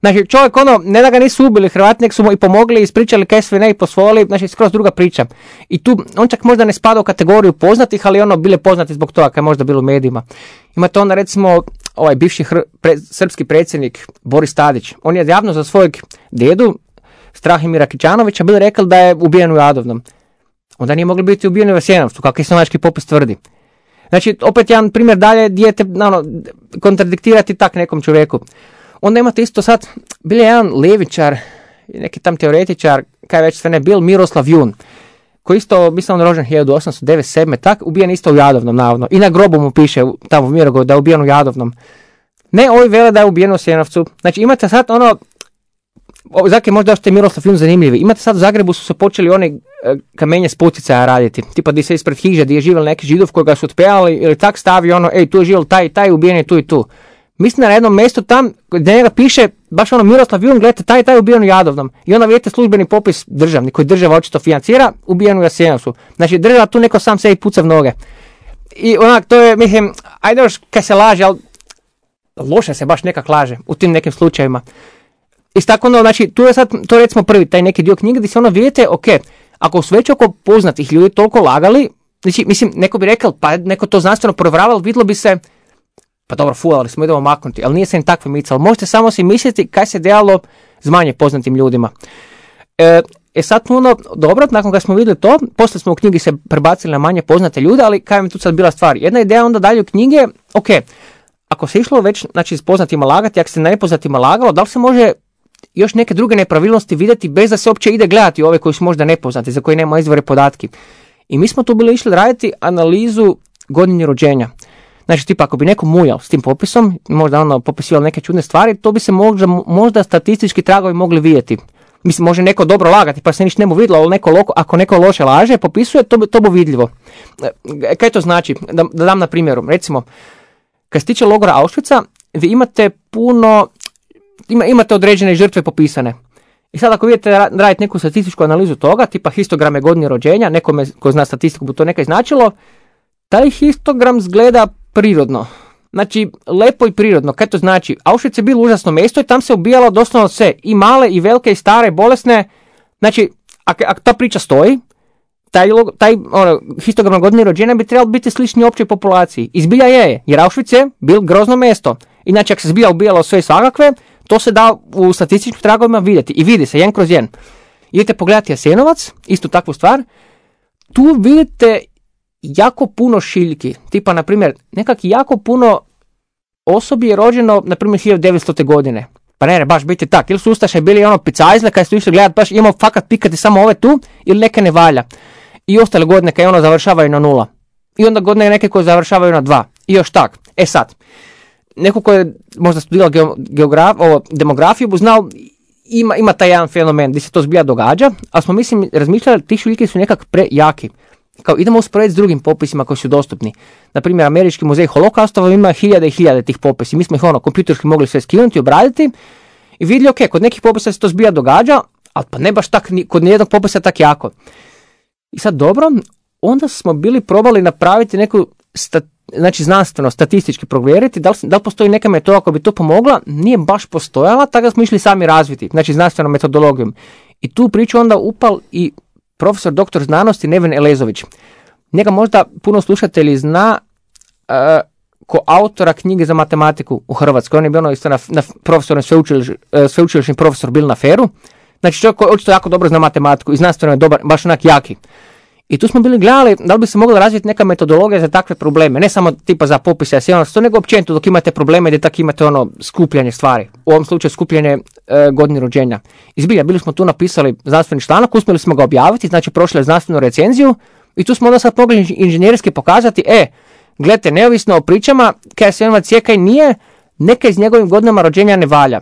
Znači čovjek ono, ne da ga nisu ubili Hrvati, nek su mu i pomogli, ispričali kaj sve ne i posvojili, znači skroz druga priča. I tu on čak možda ne spada u kategoriju poznatih, ali ono bile poznati zbog toga kaj je možda bilo u medijima. Imate onda recimo ovaj bivši hr- pre- srpski predsjednik Boris Tadić, on je javno za svojeg dedu Strahimira Kićanovića bil rekao da je ubijen u Jadovnom. Onda nije mogli biti ubijeni u Jasenovcu, kako jasenovački popis tvrdi. Znači, opet jedan primjer dalje, dijete, ono, kontradiktirati tak nekom čovjeku. Onda imate isto sad, bil je jedan levičar, neki tam teoretičar, kaj već sve ne bil, Miroslav Jun, koji isto, mislim, on rođen hiljadu osamsto devedeset sedme tak, ubijen isto u Jadovnom, navodno. I na grobu mu piše, tamo u Mirogoju, da je ubijen u Jadovnom. Ne, ovi vele da je ubijen u Jasenovcu. Znači, imate sad ono, Zake možda što je Miroslav film zanimljivi. Imate sad u Zagrebu su se počeli one kamenje s poticaja raditi. Tipa di se ispred hiže gdje je živjel neki Židov koga su otpevali ili tak stavi ono, ej tu je živjel taj i taj, ubijen je tu i tu. Mislim na jednom mjestu tam gdje njega piše baš ono Miroslav Jun, gledajte taj i taj ubijen u Jadovnom. I onda vidite službeni popis državni koji država očito financira, ubijen u Jasenovcu. Znači država tu neko sam sebi puca v noge. I onak to je, mislim, ajde još kaj se laže, ali loše se baš nekak laže u tim nekim slučajevima. I tako ono, znači, tu je sad, to recimo prvi, taj neki dio knjige gdje se ono vidite, ok, ako su već oko poznatih ljudi toliko lagali, znači, mislim, neko bi rekao, pa neko to znanstveno provjeravalo, vidjelo bi se, pa dobro, fulali smo, idemo maknuti, ali nije se im takve micalo. Možete samo si misliti kaj se dejalo s manje poznatim ljudima. E, e sad ono, dobro, nakon kad smo vidjeli to, poslije smo u knjigi se prebacili na manje poznate ljude, ali kaj mi tu sad bila stvar? Jedna ideja onda dalje u knjige, ok, ako se išlo već, znači, s poznatima lagati, ako se na nepoznatima lagalo, da li se može još neke druge nepravilnosti vidjeti bez da se uopće ide gledati ove koji su možda nepoznati, za koje nema izvore podatki. I mi smo tu bili išli raditi analizu godine rođenja. Znači, tipa, ako bi neko muljao s tim popisom, možda ono popisivalo neke čudne stvari, to bi se možda, možda statistički tragovi mogli vidjeti. Mislim, može neko dobro lagati, pa se ništa ne mu vidjelo, ali neko loko, ako neko loše laže, popisuje, to bi, to bi vidljivo. E, kaj to znači? Da, da dam na primjeru. Recimo, kad se tiče logora Auschwitza, vi imate puno, ima, imate određene žrtve popisane. I sad ako vidite raditi neku statističku analizu toga, tipa histograme godine rođenja, nekome ko zna statistiku bi to nekaj značilo, taj histogram izgleda prirodno. Znači, lepo i prirodno. Kaj to znači? Auschwitz je bilo užasno mjesto i tam se ubijalo doslovno sve. I male, i velike, i stare, bolesne. Znači, ako, ako ta priča stoji, taj, taj ono, histogram godine rođenja bi trebalo biti slični općoj populaciji. I zbilja je, jer Auschwitz je bil grozno mjesto. Inače, ako se zbilja ubijalo sve i svakakve, to se da u statističkim tragovima vidjeti. I vidi se, jedan kroz jedan. Idete pogledati Jasenovac, istu takvu stvar. Tu vidite jako puno šiljki. Tipa, na primjer, nekak jako puno osobi je rođeno, na primjer, hiljadu devetstote godine. Pa ne, ne, baš biti tak. Ili su ustaše bili ono picajzle, kad su išli gledati, baš imamo fakat pikati samo ove tu, ili neke ne valja. I ostale godine kad ono završavaju na nula. I onda godine neke koje završavaju na dva. I još tak. E sad, neko ko je možda studirao geograf, ovo, demografiju, bu znao, ima, ima taj jedan fenomen gdje se to zbilja događa, ali smo, mislim, razmišljali, ti šiljke su nekak prejaki. Kao idemo usporediti s drugim popisima koji su dostupni. Naprimjer, Američki muzej holokaustova ima hiljade i hiljade tih popisa. Mi smo ih ono kompjuterski mogli sve skinuti, obraditi i vidjeli, ok, kod nekih popisa se to zbilja događa, ali pa ne baš tak, kod nijednog popisa tak jako. I sad dobro, onda smo bili probali napraviti neku, stat, znači znanstveno, statistički provjeriti, da li, da li postoji neka metoda koja bi to pomogla, nije baš postojala, tako da smo išli sami razviti, znači znanstvenom metodologijom. I tu priču onda upal i profesor doktor znanosti Neven Elezović. Njega možda puno slušatelji zna uh, ko autora knjige za matematiku u Hrvatskoj. On je bio ono isto na, na profesor, sveučiliš, uh, sveučilišni profesor bil na Feru. Znači čovjek koji očito jako dobro zna matematiku i znanstveno je dobar, baš onak jaki. I tu smo bili gledali da li bi se mogla razviti neka metodologija za takve probleme. Ne samo tipa za popise, to nego općenito dok imate probleme gdje tako imate ono skupljanje stvari. U ovom slučaju skupljanje e, godine rođenja. Izbilja, bili smo tu napisali znanstveni članak, uspjeli smo ga objaviti, znači prošli znanstvenu recenziju i tu smo onda sad mogli inženjerski pokazati, e, gledajte, neovisno o pričama, kaj Jasenovac je, kaj nije, neka iz njegovim godinama rođenja ne valja.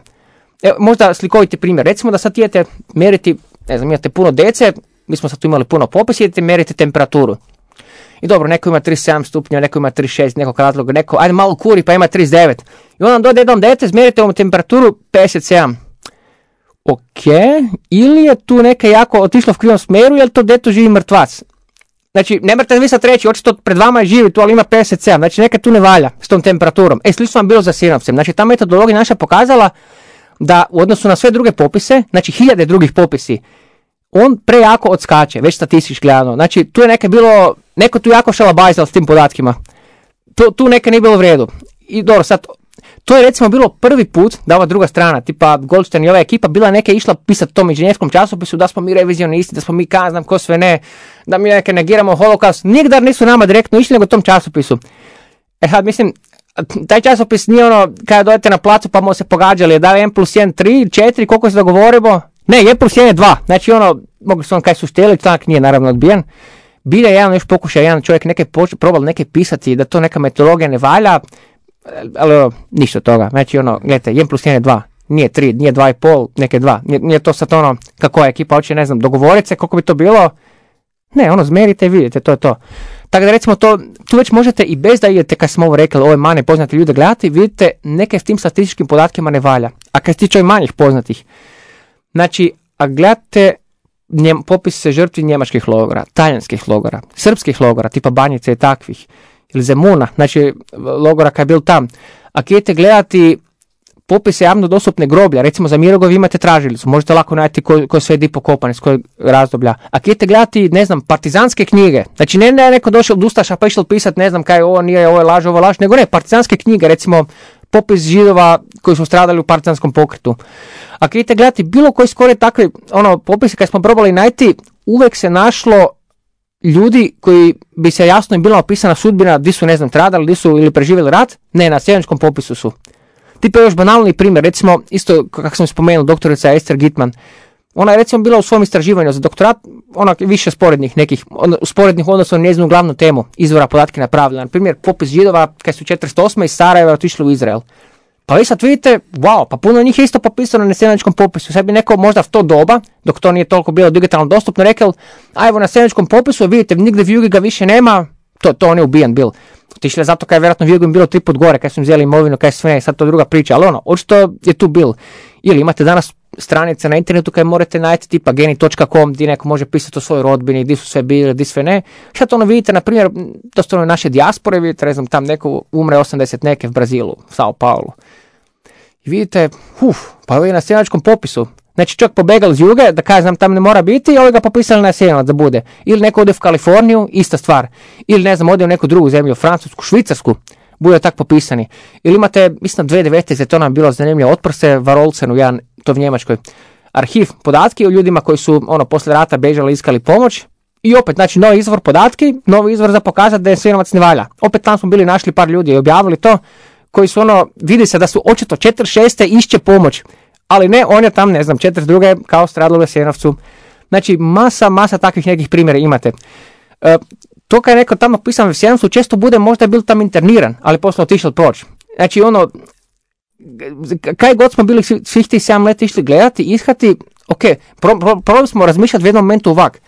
Evo, možda slikoviti primjer. Recimo da sad idete mjeriti, ne znam, imate puno dece, mi smo sad tu imali puno popisa, idete mjeriti temperaturu. I dobro, neko ima trideset sedam stupnja, neko ima trideset šest, nekog razloga, neko, ajde malo kuri pa ima trideset devet. I onda dojde jednom dete, zmjerite mu temperaturu pedeset sedam. Ok, ili je tu neka jako otišlo v krivom smjeru, ili to dete živi mrtvac. Znači, ne morate vi sad reći, očito pred vama je živi tu, ali ima pedeset sedam, znači neka tu ne valja s tom temperaturom. E, slično vam bilo za Jasenovcem. Znači, ta metodologija naša pokazala da u odnosu na sve druge popise, znači hiljade drugih popisi, on prejako odskače, već statistički gledano. Znači, tu je neka bilo, neko tu jako šalabajzal s tim podatkima. Tu, tu neka nije bilo u redu. I dobro, sad, to je recimo bilo prvi put da ova druga strana, tipa Goldstein i ova ekipa, bila neka išla pisati tom inženjerskom časopisu da smo mi revizionisti, da smo mi ka znam ko sve ne, da mi neke negiramo holokaust. Nigdar nisu nama direktno išli nego tom časopisu. E sad, mislim, taj časopis nije ono, kada dojete na placu pa mu se pogađali, da je jedan plus jedan, tri, četiri, koliko se dogovorimo? Ne, jedan plus jedan je dva. Znači ono, mogli su on kaj su štijeli, članak nije naravno odbijen. Bilo je jedan još pokušaj, jedan čovjek neke probal neke pisati da to neka metodologija ne valja, ali ono, ništa od toga. Znači ono, gledajte, jedan plus jedan je dva, nije tri, nije dva i pol, neke dva. Nije, nije to sad ono, kako je ekipa hoće, ne znam, dogovoriti se, koliko bi to bilo. Ne, ono, zmerite i vidite, to je to. Tako da recimo to, tu već možete i bez da idete, kad smo ovo rekli, ove manje poznate ljude gledati, vidite neke s tim statističkim podatkima ne valja. A kad se tiče manjih poznatih, znači, a gledate njem, popis se žrtvi njemačkih logora, talijanskih logora, srpskih logora, tipa Banjice i takvih, ili Zemuna, znači logora kad je bil tam. A idete gledati popise javno dostupne groblja, recimo za Mirogoj imate tražilicu, možete lako naći ko, ko sve di pokopane, s kojeg razdoblja. A idete gledati, ne znam, partizanske knjige, znači ne, ne neko došao od Ustaša pa išao pisati, ne znam kaj, ovo nije, ovo je laž, ovo je laž, nego ne, partizanske knjige, recimo popis Židova koji su stradali u partizanskom pokretu. A kad idete gledati bilo koji skoro takvi ono, popise kad smo probali najti, uvijek se našlo ljudi koji bi se jasno im bila opisana sudbina, di su, ne znam, stradali, di su ili preživjeli rat, ne, na sjevenskom popisu su. Tipa još banalni primjer, recimo, isto kako sam spomenuo, doktorica Esther Gitman, ona je recimo bila u svom istraživanju za doktorat, ona više sporednih nekih, sporednih odnosno na njezinu glavnu temu, izvora podatke napravila. Na primjer, popis Židova kad su četrdeset osme iz Sarajeva otišli u Izrael. Pa vi sad vidite, wow, pa puno njih je isto popisano na sjevenskom popisu. Sad bi neko možda v to doba, dok to nije toliko bilo digitalno dostupno, rekao, a evo na sjevenskom popisu, vidite, nigdje v Jugi ga više nema, to, to on je ubijen bil. Otišli zato kaj je vjerojatno v Jugu im bilo tri put gore, kaj su im vzeli imovinu, kaj sve ne, sad to druga priča, ali ono, očito je tu bil. Ili imate danas stranice na internetu kaj morate naći tipa geni točka com gdje neko može pisati o svojoj rodbini, gdje su sve bili, gdje sve ne. Sad ono vidite, na primjer, dostojno naše dijaspore, vidite, ne znam, tam neko umre osamdeset neke v Brazilu, u Sao Paulo. I vidite, uf, pa ovo je na sjevenskom popisu. Znači čovjek pobegal iz Juge, da kažem tam ne mora biti, i ovi ga popisali na Sjevenac da bude. Ili neko ode u Kaliforniju, ista stvar. Ili ne znam, ode u neku drugu zemlju, Francusku, Švicarsku, bude tak popisani. Ili imate, mislim, dvije tisuće devete. to nam bilo zanimljivo, otprse Varolcenu, jedan, to v Njemačkoj, arhiv podatki o ljudima koji su, ono, poslije rata bežali, iskali pomoć. I opet, znači, novi izvor podatki, novi izvor za pokazati da je Sjevenovac ne valja. Opet tam smo bili našli par ljudi i objavili to, koji su ono, vidi se da su očito četrdeset šeste išće pomoć. Ali ne, on je tam, ne znam, četrdeset druge kao stradalo u Jasenovcu. Znači, masa, masa takvih nekih primjera imate. E, to kad je neko tamo pisan u Jasenovcu, često bude možda je bil tam interniran, ali poslije otišao proći. Znači, ono, kaj god smo bili svih tih sedam let išli gledati, ishati, ok, pro, pro, probali smo razmišljati u jednom momentu ovak.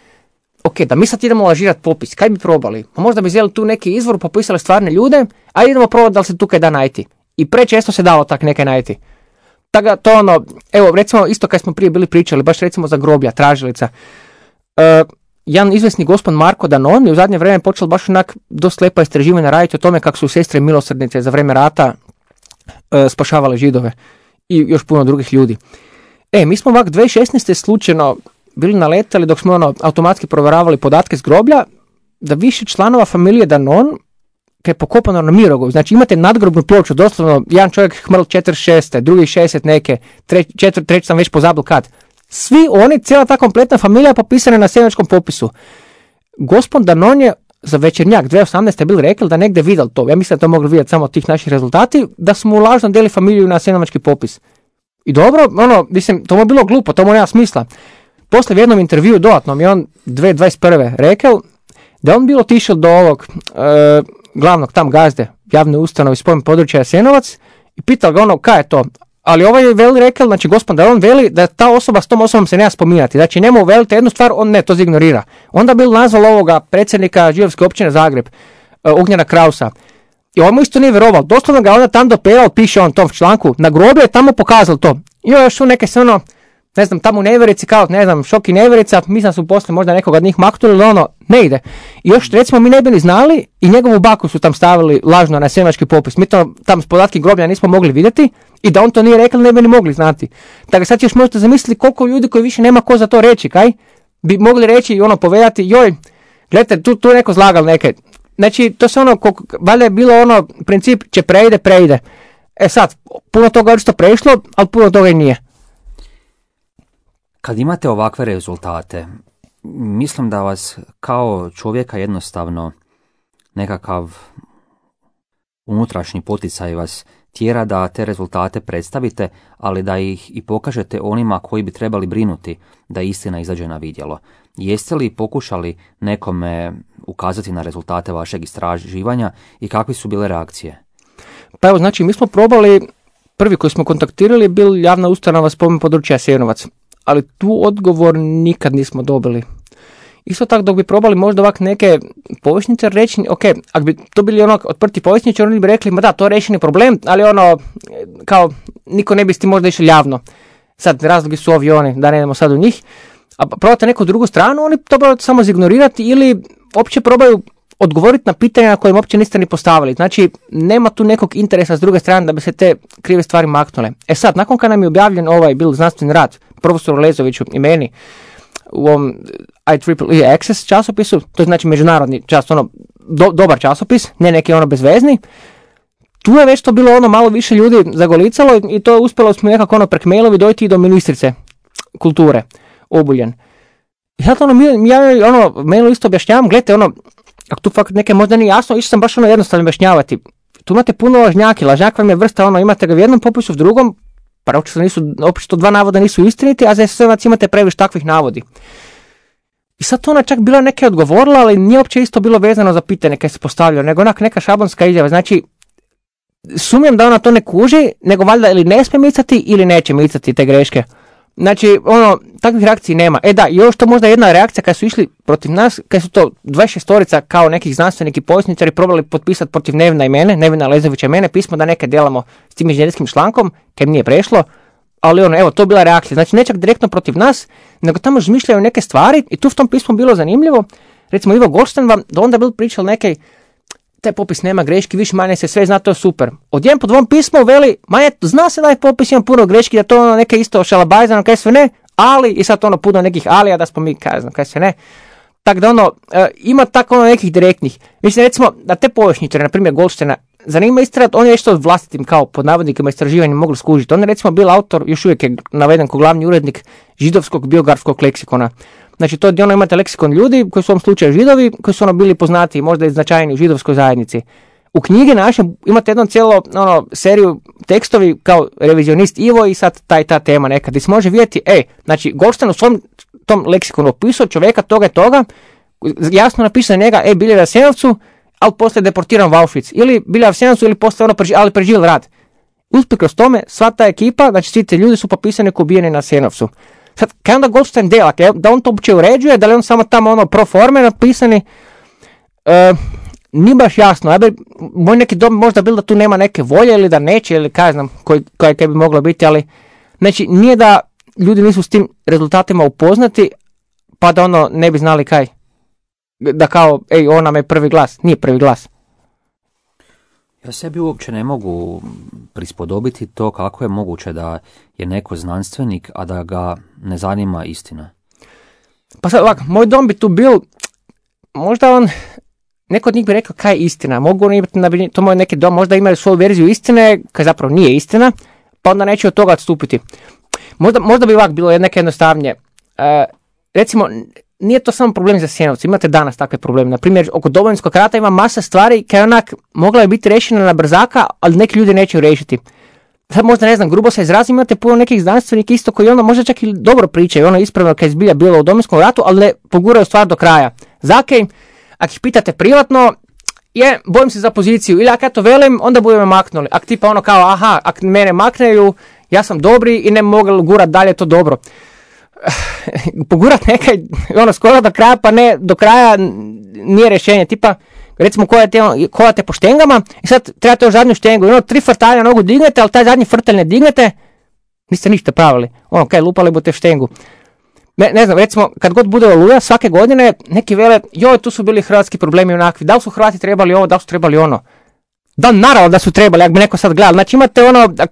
Ok, da mi sad idemo lažirati popis, kaj bi probali? Pa možda bi vzeli tu neki izvor, popisali stvarne ljude, a idemo probati da li se tu kaj da najti. I prečesto se dalo tak nekaj najti. Tako to ono, evo recimo isto kad smo prije bili pričali, baš recimo za groblja, tražilica. Uh, jedan izvesni gospod Marko Danon je u zadnje vrijeme počeo baš onak dosta lepa istraživanja raditi o tome kako su sestre milosrdnice za vrijeme rata uh, spašavale Židove i još puno drugih ljudi. E, mi smo ovak dvije tisuće šesnaeste slučajno bili naletali dok smo ono automatski provjeravali podatke s groblja, da više članova familije Danon kaj je pokopano na Mirogovu. Znači imate nadgrobnu ploču, doslovno jedan čovjek hmrl četrdeset šeste, drugi šezdeset neke, treći, četvr, treći sam već pozabil kad. Svi oni, cijela ta kompletna familija popisana na sjevenskom popisu. Gospod Danon je za Večernjak dvije tisuće osamnaeste bili rekli da negdje vidjeli to. Ja mislim da to mogli vidjeti samo od tih naših rezultati, da smo u lažno deli familiju na sjevenovački popis. I dobro, ono, mislim, to mu je bilo glupo, to mu nema smisla. Poslije v jednom intervju dodatnom je on dvije tisuće dvadeset prve rekao da on bilo otišao do ovog e, glavnog tam gazde javne ustanove iz područja Jasenovac i pitao ga ono kaj je to. Ali ovaj je veli rekao, znači gospod da on veli da ta osoba s tom osobom se nema spominjati. Znači njemu velite jednu stvar, on ne, to ignorira. Onda bil nazval ovoga predsjednika židovske općine Zagreb, uh, Ognjena Krausa. I on mu isto nije vjerovao. Doslovno ga onda tam doperao, piše on tom članku, na groblje je tamo pokazal to. I još u neke se ono, ne znam, tamo u nevjerici, kao, ne znam, šok i nevjerica, mislim da su poslije možda nekoga od njih maknuli, ali ono, ne ide. I još, recimo, mi ne bili znali i njegovu baku su tam stavili lažno na sjevenovački popis. Mi to tam s podatki groblja nismo mogli vidjeti i da on to nije rekao, ne bi ni mogli znati. Tako sad još možete zamisliti koliko ljudi koji više nema ko za to reći, kaj? Bi mogli reći i ono, povedati, joj, gledajte, tu, tu je neko zlagal neke. Znači, to se ono, valjda je bilo ono, princip, će preide, preide. E sad, puno toga je što prešlo, ali puno toga i nije. Kad imate ovakve rezultate, mislim da vas kao čovjeka jednostavno nekakav unutrašnji poticaj vas tjera da te rezultate predstavite, ali da ih i pokažete onima koji bi trebali brinuti da istina izađe na vidjelo. Jeste li pokušali nekome ukazati na rezultate vašeg istraživanja i kakve su bile reakcije? Pa evo, znači, mi smo probali, prvi koji smo kontaktirali je bil javna ustanova spomen područja Jasenovac, ali tu odgovor nikad nismo dobili. Isto tako dok bi probali možda ovak neke povjesnice reći, ok, ako bi to bili ono otprti povjesničari, oni bi rekli, ma da, to je rešeni problem, ali ono, kao, niko ne bi s tim možda išli javno. Sad, razlogi su ovi oni, da ne idemo sad u njih, a probate neku drugu stranu, oni to probate samo zignorirati ili opće probaju odgovoriti na pitanja na koje im uopće niste ni postavili. Znači, nema tu nekog interesa s druge strane da bi se te krive stvari maknule. E sad, nakon kad nam je objavljen ovaj bil znanstveni rad profesoru Lezoviću i meni u ovom I triple E Access časopisu, to je znači međunarodni čas, ono, do, dobar časopis, ne neki ono bezvezni, tu je već to bilo ono malo više ljudi zagolicalo i to je uspjelo smo nekako ono prek mailovi dojti i do ministrice kulture, Obuljen. I sad ono, mi, ja ono, mailu isto objašnjavam, gledajte, ono, ako tu fakat neke možda nije jasno, išao sam baš ono jednostavno objašnjavati. Tu imate puno lažnjaki, lažnjak vam je vrsta, ono, imate ga u jednom popisu, u drugom, pa očito nisu, očito dva navoda nisu istiniti, a za S S M-ac imate previše takvih navodi. I sad to ona čak bila neke odgovorila, ali nije uopće isto bilo vezano za pitanje kad se postavljao, nego onak neka šablonska izjava. Znači, sumnjam da ona to ne kuži, nego valjda ili ne smije micati ili neće micati te greške. Znači, ono, takvih reakciji nema. E da, još to možda jedna reakcija kad su išli protiv nas, kad su to dvadeset šestorica kao nekih znanstvenih i povjesničari probali potpisati protiv Nevina i mene, Nevina Lezovića i mene, pismo da neke delamo s tim inženjerskim člankom, kad nije prešlo, ali ono, evo, to je bila reakcija. Znači, ne čak direktno protiv nas, nego tamo izmišljaju neke stvari i tu v tom pismu bilo zanimljivo. Recimo, Ivo Goldstein vam da onda bil pričal neke, taj popis nema greški, više manje se sve zna, to je super. Odjem po dvom pismu veli, ma je, zna se da je popis ima puno greški, da to ono neke isto šalabajzano, kaj sve ne, ali, i sad ono puno nekih alija, da smo mi, kaj znam, kaj sve ne. Tako da ono, e, ima tako ono nekih direktnih. Mislim, recimo, da te povjesničare, na primjer Goldsteina, zanima istrati, on je nešto vlastitim, kao pod navodnikama istraživanjem mogli skužiti. On je recimo bil autor, još uvijek je naveden kao glavni urednik židovskog biografskog leksikona. Znači, to je ono, imate leksikon ljudi koji su u ovom slučaju židovi, koji su ono bili poznati, možda i značajni u židovskoj zajednici. U knjigi naše imate jednu cijelo ono, seriju tekstovi kao revizionist Ivo i sad taj ta tema nekad. I se može vidjeti, ej, znači, Goldstein u svom tom leksikonu opisao čovjeka toga i toga, jasno napisao njega, ej, bili u Jasenovcu, ali poslije deportiran u Auschwitz. Ili bili u Jasenovcu, ili poslije ono, ali preživjeli rat. Usprkos tome, sva ta ekipa, znači svi ti ljudi su popisani kao ubijeni na Jasenovcu. Sad, kaj onda Goldstein dela? Da on to uopće uređuje, da li on samo tamo ono pro forme napisani? E, nije baš jasno. Ja bi, moj neki dom možda bilo da tu nema neke volje ili da neće ili kaj znam koji, koji, koji bi moglo biti, ali znači nije da ljudi nisu s tim rezultatima upoznati pa da ono ne bi znali kaj. Da kao, ej, on nam je prvi glas. Nije prvi glas. Ja sebi uopće ne mogu prispodobiti to kako je moguće da je neko znanstvenik, a da ga ne zanima istina. Pa sad ovako, moj dom bi tu bil, možda on, neko od njih bi rekao kaj je istina. Mogu oni imati, to moj neki dom, možda imaju svoju verziju istine, kaj zapravo nije istina, pa onda neće od toga odstupiti. Možda, možda bi ovako bilo neke jednostavnije. E, recimo, nije to samo problem za Jasenovce, imate danas takve probleme. Na primjer, oko Domovinskog rata ima masa stvari koje onak mogla je biti rešena na brzaka, ali neki ljudi neće riješiti. Sad možda ne znam, grubo se izrazim, imate puno nekih znanstvenika isto koji ono možda čak i dobro pričaju, ono ispravno kad je zbilja bilo u Domovinskom ratu, ali ne poguraju stvar do kraja. Zakaj? Ako ih pitate privatno, je, bojim se za poziciju, ili ako ja to velim, onda budemo me maknuli. Ako tipa ono kao, aha, ako mene makneju, ja sam dobri i ne mogu gurat dalje to dobro. Pogurat nekaj, ono, skoro do kraja, pa ne, do kraja nije rješenje, tipa, recimo kovate po štengama i sad trebate još zadnju štengu, ono, tri frtalja nogu dignete, ali taj zadnji frtalj ne dignete, niste ništa pravili, ono, kaj, lupali budete štengu. Ne, ne znam, recimo, kad god bude Oluja, svake godine, neki vele, joj, tu su bili hrvatski problemi onakvi, da li su Hrvati trebali ovo, da li su trebali ono. Da, naravno da su trebali, ako bi neko sad gledal, znači imate ono, ak,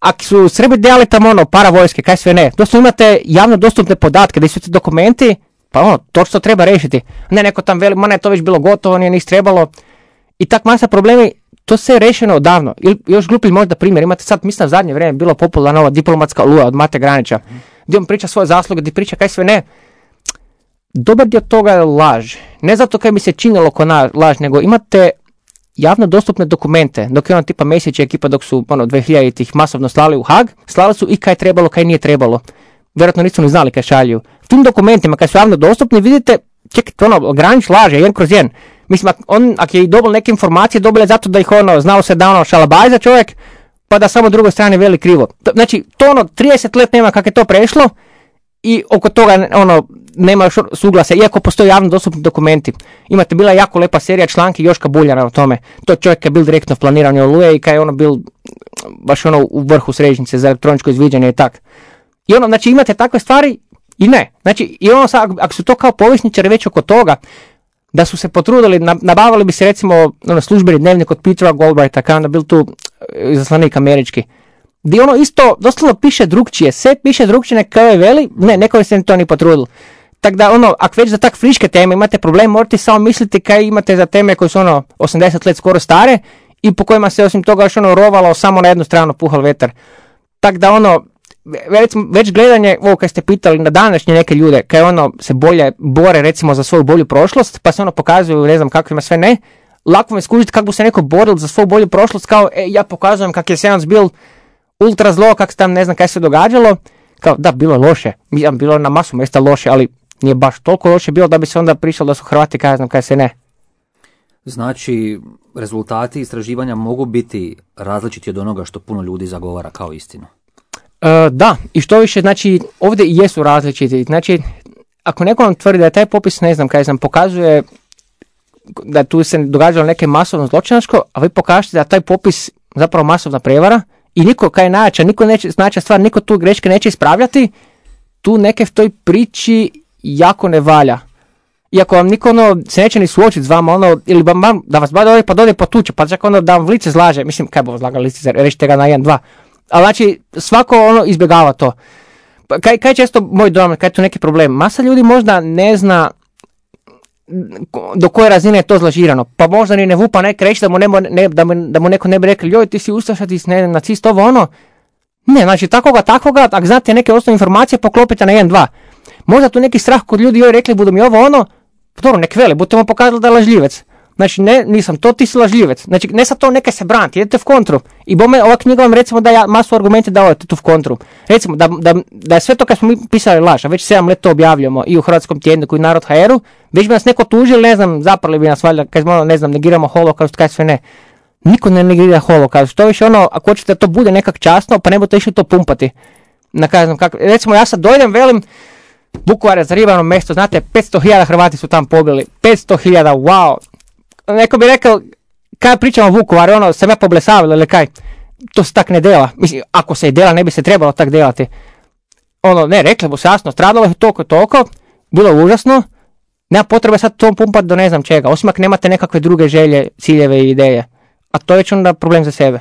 Ako su Srbi delali tamo ono, para vojske, kaj sve ne, doslovno imate javno dostupne podatke, da su ti dokumenti, pa ono, to što treba rešiti. Ne, neko tam veli, ma ne, to već bilo gotovo, nije ništa trebalo. I tak masa problemi, to se je rešeno odavno. Ili još glupi možda primjer, imate sad, mislim, u zadnje vrijeme bilo popularna ova diplomatska Oluja od Mate Granića, gdje on priča svoje zasluge, gdje priča kaj sve ne. Dobar dio toga je laž. Ne zato kaj mi se činilo ko na laž, nego imate javno dostupne dokumente, dok je ono tipa Mesić i ekipa dok su ono dvije hiljaditih masovno slali u Hag, slali su i kaj trebalo, kaj nije trebalo. Vjerojatno nisu ni znali kaj šalju. V tim dokumentima kaj su javno dostupni vidite, čekajte, ono, Granić laže, jedan kroz jedan. Mislim, ak, on, ako je i dobil neke informacije, dobil je zato da ih ono, znao se da ono šalabajza čovjek, pa da samo drugoj strani veli krivo. Znači, to ono, trideset let nema kako je to prešlo i oko toga ono, nema još suglasa, iako postoje javno dostupni dokumenti. Imate bila jako lepa serija članki Joška Buljana o tome. To čovjek je bil direktno planiran u Oluje i kaj je ono bil baš ono u vrhu središnjice za elektroničko izviđanje i tak. I ono, znači imate takve stvari i ne. Znači, i ono sad, ako su to kao povjesničari već oko toga, da su se potrudili, nabavili bi se recimo ono, službeni dnevnik od Petera Goldbrighta, kao onda bil tu izaslanik američki. Gdje ono isto doslovno piše drugčije, sve piše drugčije nek kao je veli, ne, neko se to ni potrudil. Tako da ono, ako već za tak friške teme imate problem, morate samo misliti kaj imate za teme koje su ono osamdeset let skoro stare i po kojima se osim toga još ono rovalo samo na jednu stranu puhal vetar. Tako da ono, već, već gledanje, ovo kad ste pitali na današnje neke ljude, kaj ono se bolje bore recimo za svoju bolju prošlost, pa se ono pokazuju, ne znam kakvima sve ne, lako me skužiti kako bi se neko boril za svoju bolju prošlost, kao e, ja pokazujem kak je Jasenovac bil ultra zlo, kak se tam ne znam kaj se događalo, kao da, bilo je loše, bilo je na masu mjesta loše, ali nije baš toliko loše bilo da bi se onda prišlo da su Hrvati kaj znam kaj se ne. Znači, rezultati istraživanja mogu biti različiti od onoga što puno ljudi zagovara kao istinu. E, da, i što više, znači, ovdje i jesu različiti. Znači, ako neko vam tvrdi da je taj popis, ne znam kaj znam, pokazuje da tu se događalo neke masovno zločinačko, a vi pokažete da taj popis zapravo masovna prevara i niko kaj najjača, niko neće, znača stvar, niko tu greške neće ispravljati, tu neke v toj priči jako ne valja. Iako vam niko ono, se neće ni suočiti s vama, ono, ili vam, da vas bada ovdje pa dode potuče, pa čak ono da vam v lice zlaže, mislim, kaj bo zlagali lice, rečite ga na jedan, dva. Ali znači, svako ono izbjegava to. Kaj, kaj često moj dojam, kaj je tu neki problem? Masa ljudi možda ne zna do koje razine je to zlažirano, pa možda ni ne vupa nek reći da mu, ne, ne, da mu, da mu neko ne bi rekli, joj ti si ustaša, ti si ne, nacist, ovo ono. Ne, znači takoga, takoga, ako znate neke osnovne informacije, poklopite na jedan, dva. Možda tu neki strah kod ljudi, joj rekli budu mi ovo ono, dobro, nek veli, budete mu pokazali da je lažljivec. Znači, ne, nisam to, ti si lažljivec. Znači, ne sad to neka se braniti, idete v kontru. I bome, ova knjiga vam recimo da ja masu argumente da odete tu v kontru. Recimo, da, da, da je sve to kad smo mi pisali laž, a već sedam let to objavljamo i u Hrvatskom tjedniku i Narod ha er u, već bi nas neko tužili, ne znam, zaprali bi nas valjda, kad smo, ne znam, negiramo holokaust, kaj sve ne. Niko ne negira holokaust. To više ono, ako hoćete da to bude nekak časno, pa ne budete išli to pumpati. Na kaj znam kako. Recimo, ja sad dojdem, velim, Vukovar je zaribano mjesto, znate, petsto hiljada Hrvati su tam pobili. petsto hiljada, wow. Neko bi rekao, kaj pričamo o Vukovaru, ono, sam ja poblesavila ili kaj. To se tak ne dela. Mislim, ako se i dela, ne bi se trebalo tak delati. Ono, ne, rekli bi se jasno, stradalo je toliko, toliko, bilo je užasno, nema potrebe sad to pumpati do ne znam čega, osim ako nemate nekakve druge želje, ciljeve i ideje. A to je već onda problem za sebe.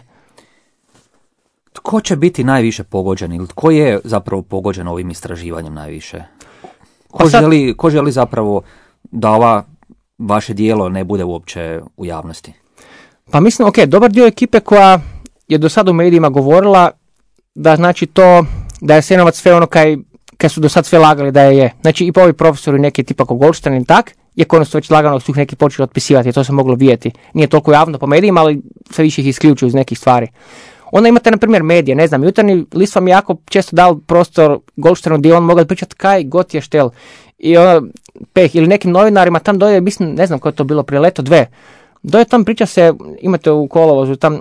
Tko će biti najviše pogođen ili tko je zapravo pogođen ovim istraživanjem najviše? Ko, sad... želi, ko želi zapravo da ova vaše dijelo ne bude uopće u javnosti? Pa mislim, ok, dobar dio ekipe koja je do sada u medijima govorila da znači to, da je Jasenovac sve ono kaj, kaj su do sad sve lagali da je je. Znači i pa ovi profesori neki tipa ko Goldstein i tak, iako ono su već lagano su ih neki počeli otpisivati, to se moglo vidjeti. Nije toliko javno po medijima, ali sve više ih isključuju iz nekih stvari. Onda imate, na primjer, medije, ne znam, Jutarnji list vam jako često dal prostor Goldsteinu gdje on mogao pričati kaj god je štel. I ono, peh, ili nekim novinarima tam doje, mislim, ne znam koje je to bilo, prije leto dve. Doje tam priča se, imate u kolovozu, tam,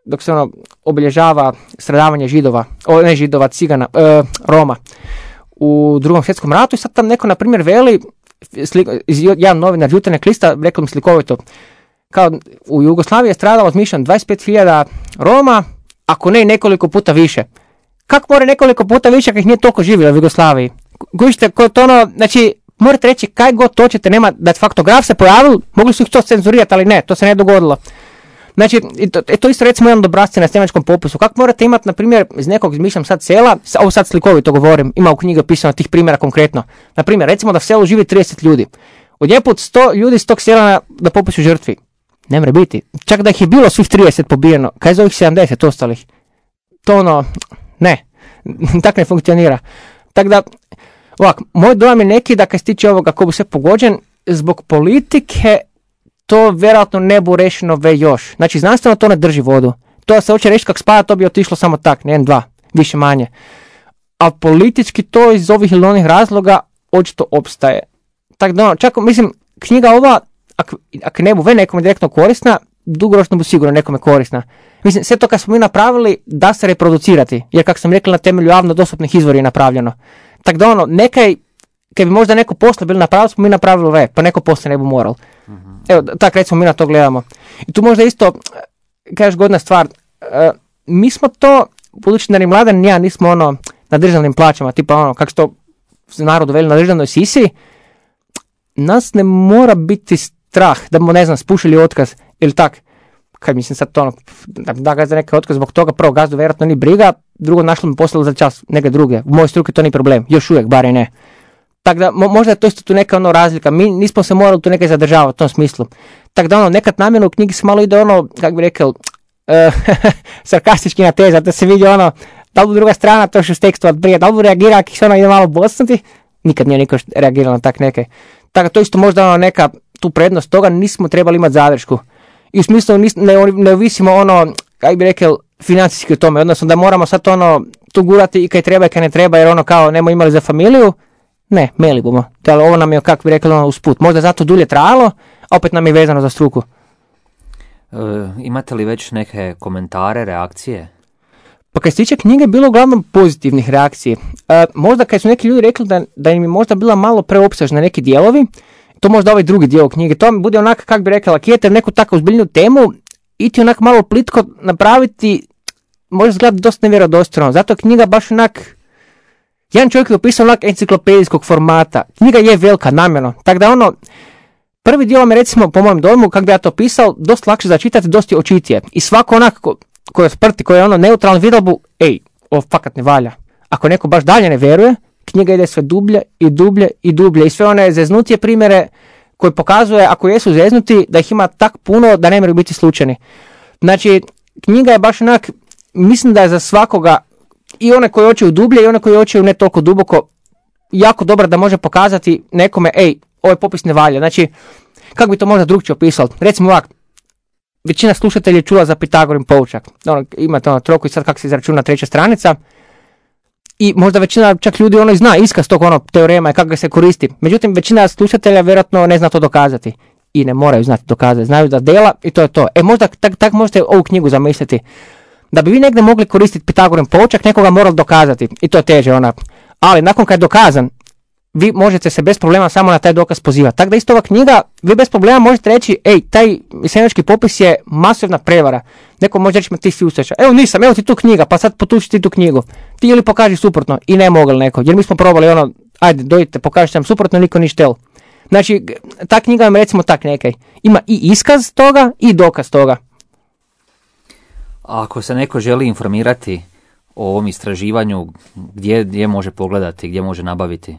dok se ono obilježava stradavanje židova, o, ne židova, cigana, e, Roma u drugom svjetskom ratu i sad tam neko, na primjer, veli, slik, jedan novinar Jutarnjeg lista, rekao mi slikovito, kao u Jugoslaviji je stradalo, zmišljam, dvadeset pet hiljada Roma, ako ne nekoliko puta više. Kako more nekoliko puta više ako ih nije toliko živjelo u Jugoslaviji? Gužite, to ono, znači, morate reći kaj god to ćete, nema, da je faktograf se pojavil, mogli su ih to cenzurirati, ali ne, to se ne dogodilo. Znači, to, to isto recimo jedan obrasci na snemačkom popisu. Kako morate imati, na primjer, iz nekog, izmišljam sad sela, ovo sad slikovito govorim, ima u knjigi opisano tih primjera konkretno. Na primjer, recimo da v selu živi trideset ljudi. Odjeput sto ljudi iz tog sela na, na popisu žrtvi. Ne mre biti. Čak da ih je bilo svih trideset pobijeno, kaj za ovih sedamdeset ostalih? To ono, ne, tak ne funkcionira. Tako da, ovak, moj dojam je neki da kad se tiče ovoga ko bi sve pogođen, zbog politike to vjerojatno ne bu rešeno ve još. Znači, znanstveno to ne drži vodu. To se hoće reći kak spada, to bi otišlo samo tak, ne jedan, dva, više manje. A politički to iz ovih ili onih razloga očito opstaje. Tako da, ono, čak, mislim, knjiga ova, ako ak ne bu ve nekom direktno korisna, dugoročno bu sigurno nekome korisna. Mislim, sve to kad smo mi napravili da se reproducirati, jer kako sam rekli na temelju javno dostupnih izvora je napravljeno. Tako da ono, nekaj, kad bi možda neko posle bili napravili, smo mi napravili ve, pa neko posle ne bu moral. Mm-hmm. Evo, tak recimo mi na to gledamo. I tu možda isto, kažeš godna stvar, uh, mi smo to, budući da ni Mladen ni ja nismo ono na državnim plaćama, tipa ono, kako se to narodu veli na državnoj sisi, nas ne mora biti strah da mu, ne znam, spušili otkaz ili tak. Kad mislim sad to ono, da, da ga za neki otkaz zbog toga, prvo gazdu vjerojatno ni briga, drugo našlo mi poslali za čas neke druge. U mojoj struki to nije problem, još uvijek, bar i ne. Tako da mo, možda je to isto tu neka ono razlika, mi nismo se morali tu nekaj zadržavati u tom smislu. Tako da ono, nekad namjerno u knjigi se malo ide ono, kako bi rekao, uh, sarkastički natezat, da se vidi ono, da li druga strana to što s tekstovat prije, da li reagira ako se ono ide malo bosnuti, nikad nije niko reagirao na tak neke. Tako to isto možda ono neka tu prednost toga, nismo trebali imati zadršku. I u smislu nis, ne, ne ovisimo ono, kaj bi rekao, financijski u tome, odnosno da moramo sad ono tu gurati i kaj treba i kaj ne treba, jer ono kao nemo imali za familiju, ne, meli bomo. Ali ovo nam je, kako bi rekli, ono usput. Možda zato dulje trajalo, a opet nam je vezano za struku. E, imate li već neke komentare, reakcije? Pa kad se tiče knjige, bilo uglavnom pozitivnih reakcija. E, možda kad su neki ljudi rekli da, da im je možda bila malo preopsežna neki dijelovi, to možda ovaj drugi dio knjige, to mi bude onak, kako bi rekla, lakijete neku tako ozbiljnu temu i ti onak malo plitko napraviti, može izgledati dosta nevjerodostojno. Zato je knjiga baš onak, jedan čovjek je opisao onak enciklopedijskog formata. Knjiga je velika, namjerno. Tako da ono, prvi dio vam je recimo, po mojem dojmu, kako bi ja to opisao, dosta lakše za čitati, dosta je očitije. I svako onak ko, ko je sprti, ko je ono neutralno vidalbu, ej, ovo fakat ne valja. Ako neko baš dalje ne vjeruje, knjiga ide sve dublje i dublje i dublje. I sve one zeznutije primjere koji pokazuje, ako jesu zeznuti, da ih ima tak puno da ne moraju biti slučajni. Znači, knjiga je baš onak, mislim da je za svakoga, i one koji hoće u dublje i one koji hoće u ne toliko duboko, jako dobro da može pokazati nekome, ej, ovaj popis ne valja. Znači, kako bi to možda drugčije opisao? Recimo ovak, većina slušatelja je čula za Pitagorin poučak. Ono, imate ono troku i sad kako se izračuna treća stranica. I možda većina čak ljudi ono zna iskaz tog ono teorema i kako ga se koristi. Međutim, većina slušatelja vjerojatno ne zna to dokazati. I ne moraju znati dokazati. Znaju da dela i to je to. E možda tak, tak možete ovu knjigu zamisliti. Da bi vi negdje mogli koristiti Pitagorin poučak, nekoga morali dokazati. I to je teže ona. Ali nakon kad je dokazan, vi možete se bez problema samo na taj dokaz pozivati. Tako da isto ova knjiga, vi bez problema možete reći, ej, taj misenjački popis je masovna prevara. Neko može reći, ti si usreća. Evo nisam, evo ti tu knjiga, pa sad potuči ti tu knjigu. Ti ili pokaži suprotno i ne mogli neko. Jer mi smo probali ono, ajde, dojite, pokažite nam suprotno, niko ni štel. Znači, ta knjiga vam recimo tak nekaj. Ima i iskaz toga i dokaz toga. Ako se neko želi informirati o ovom istraživanju, gdje, gdje može pogledati, gdje može nabaviti?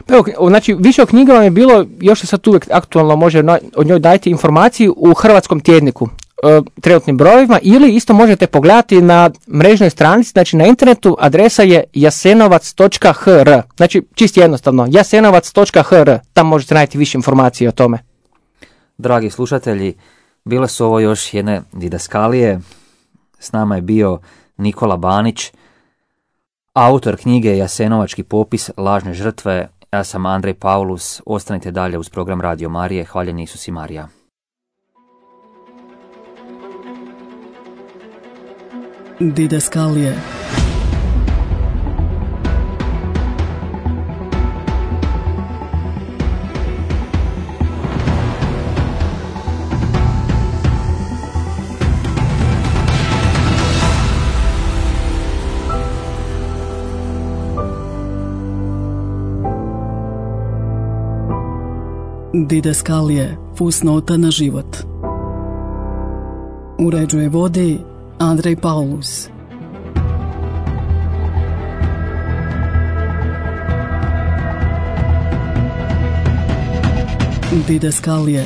Pa evo, znači, više o knjiga vam je bilo, još se sad uvijek aktualno može od njoj dajte informaciju u Hrvatskom tjedniku, e, trenutnim brojevima, ili isto možete pogledati na mrežnoj stranici, znači na internetu, adresa je jasenovac točka h r, znači čisto jednostavno, jasenovac točka h r, tam možete naći više informacije o tome. Dragi slušatelji, bile su ovo još jedne didaskalije, s nama je bio Nikola Banić, autor knjige Jasenovački popis lažne žrtve. Ja sam Andrej Paulus, ostanite dalje uz program Radio Marije, hvaljen Isus i Marija. Didaskalije. Didaskalije, fusnota na život. Uređuje vodi Andrej Paulus. Didaskalije.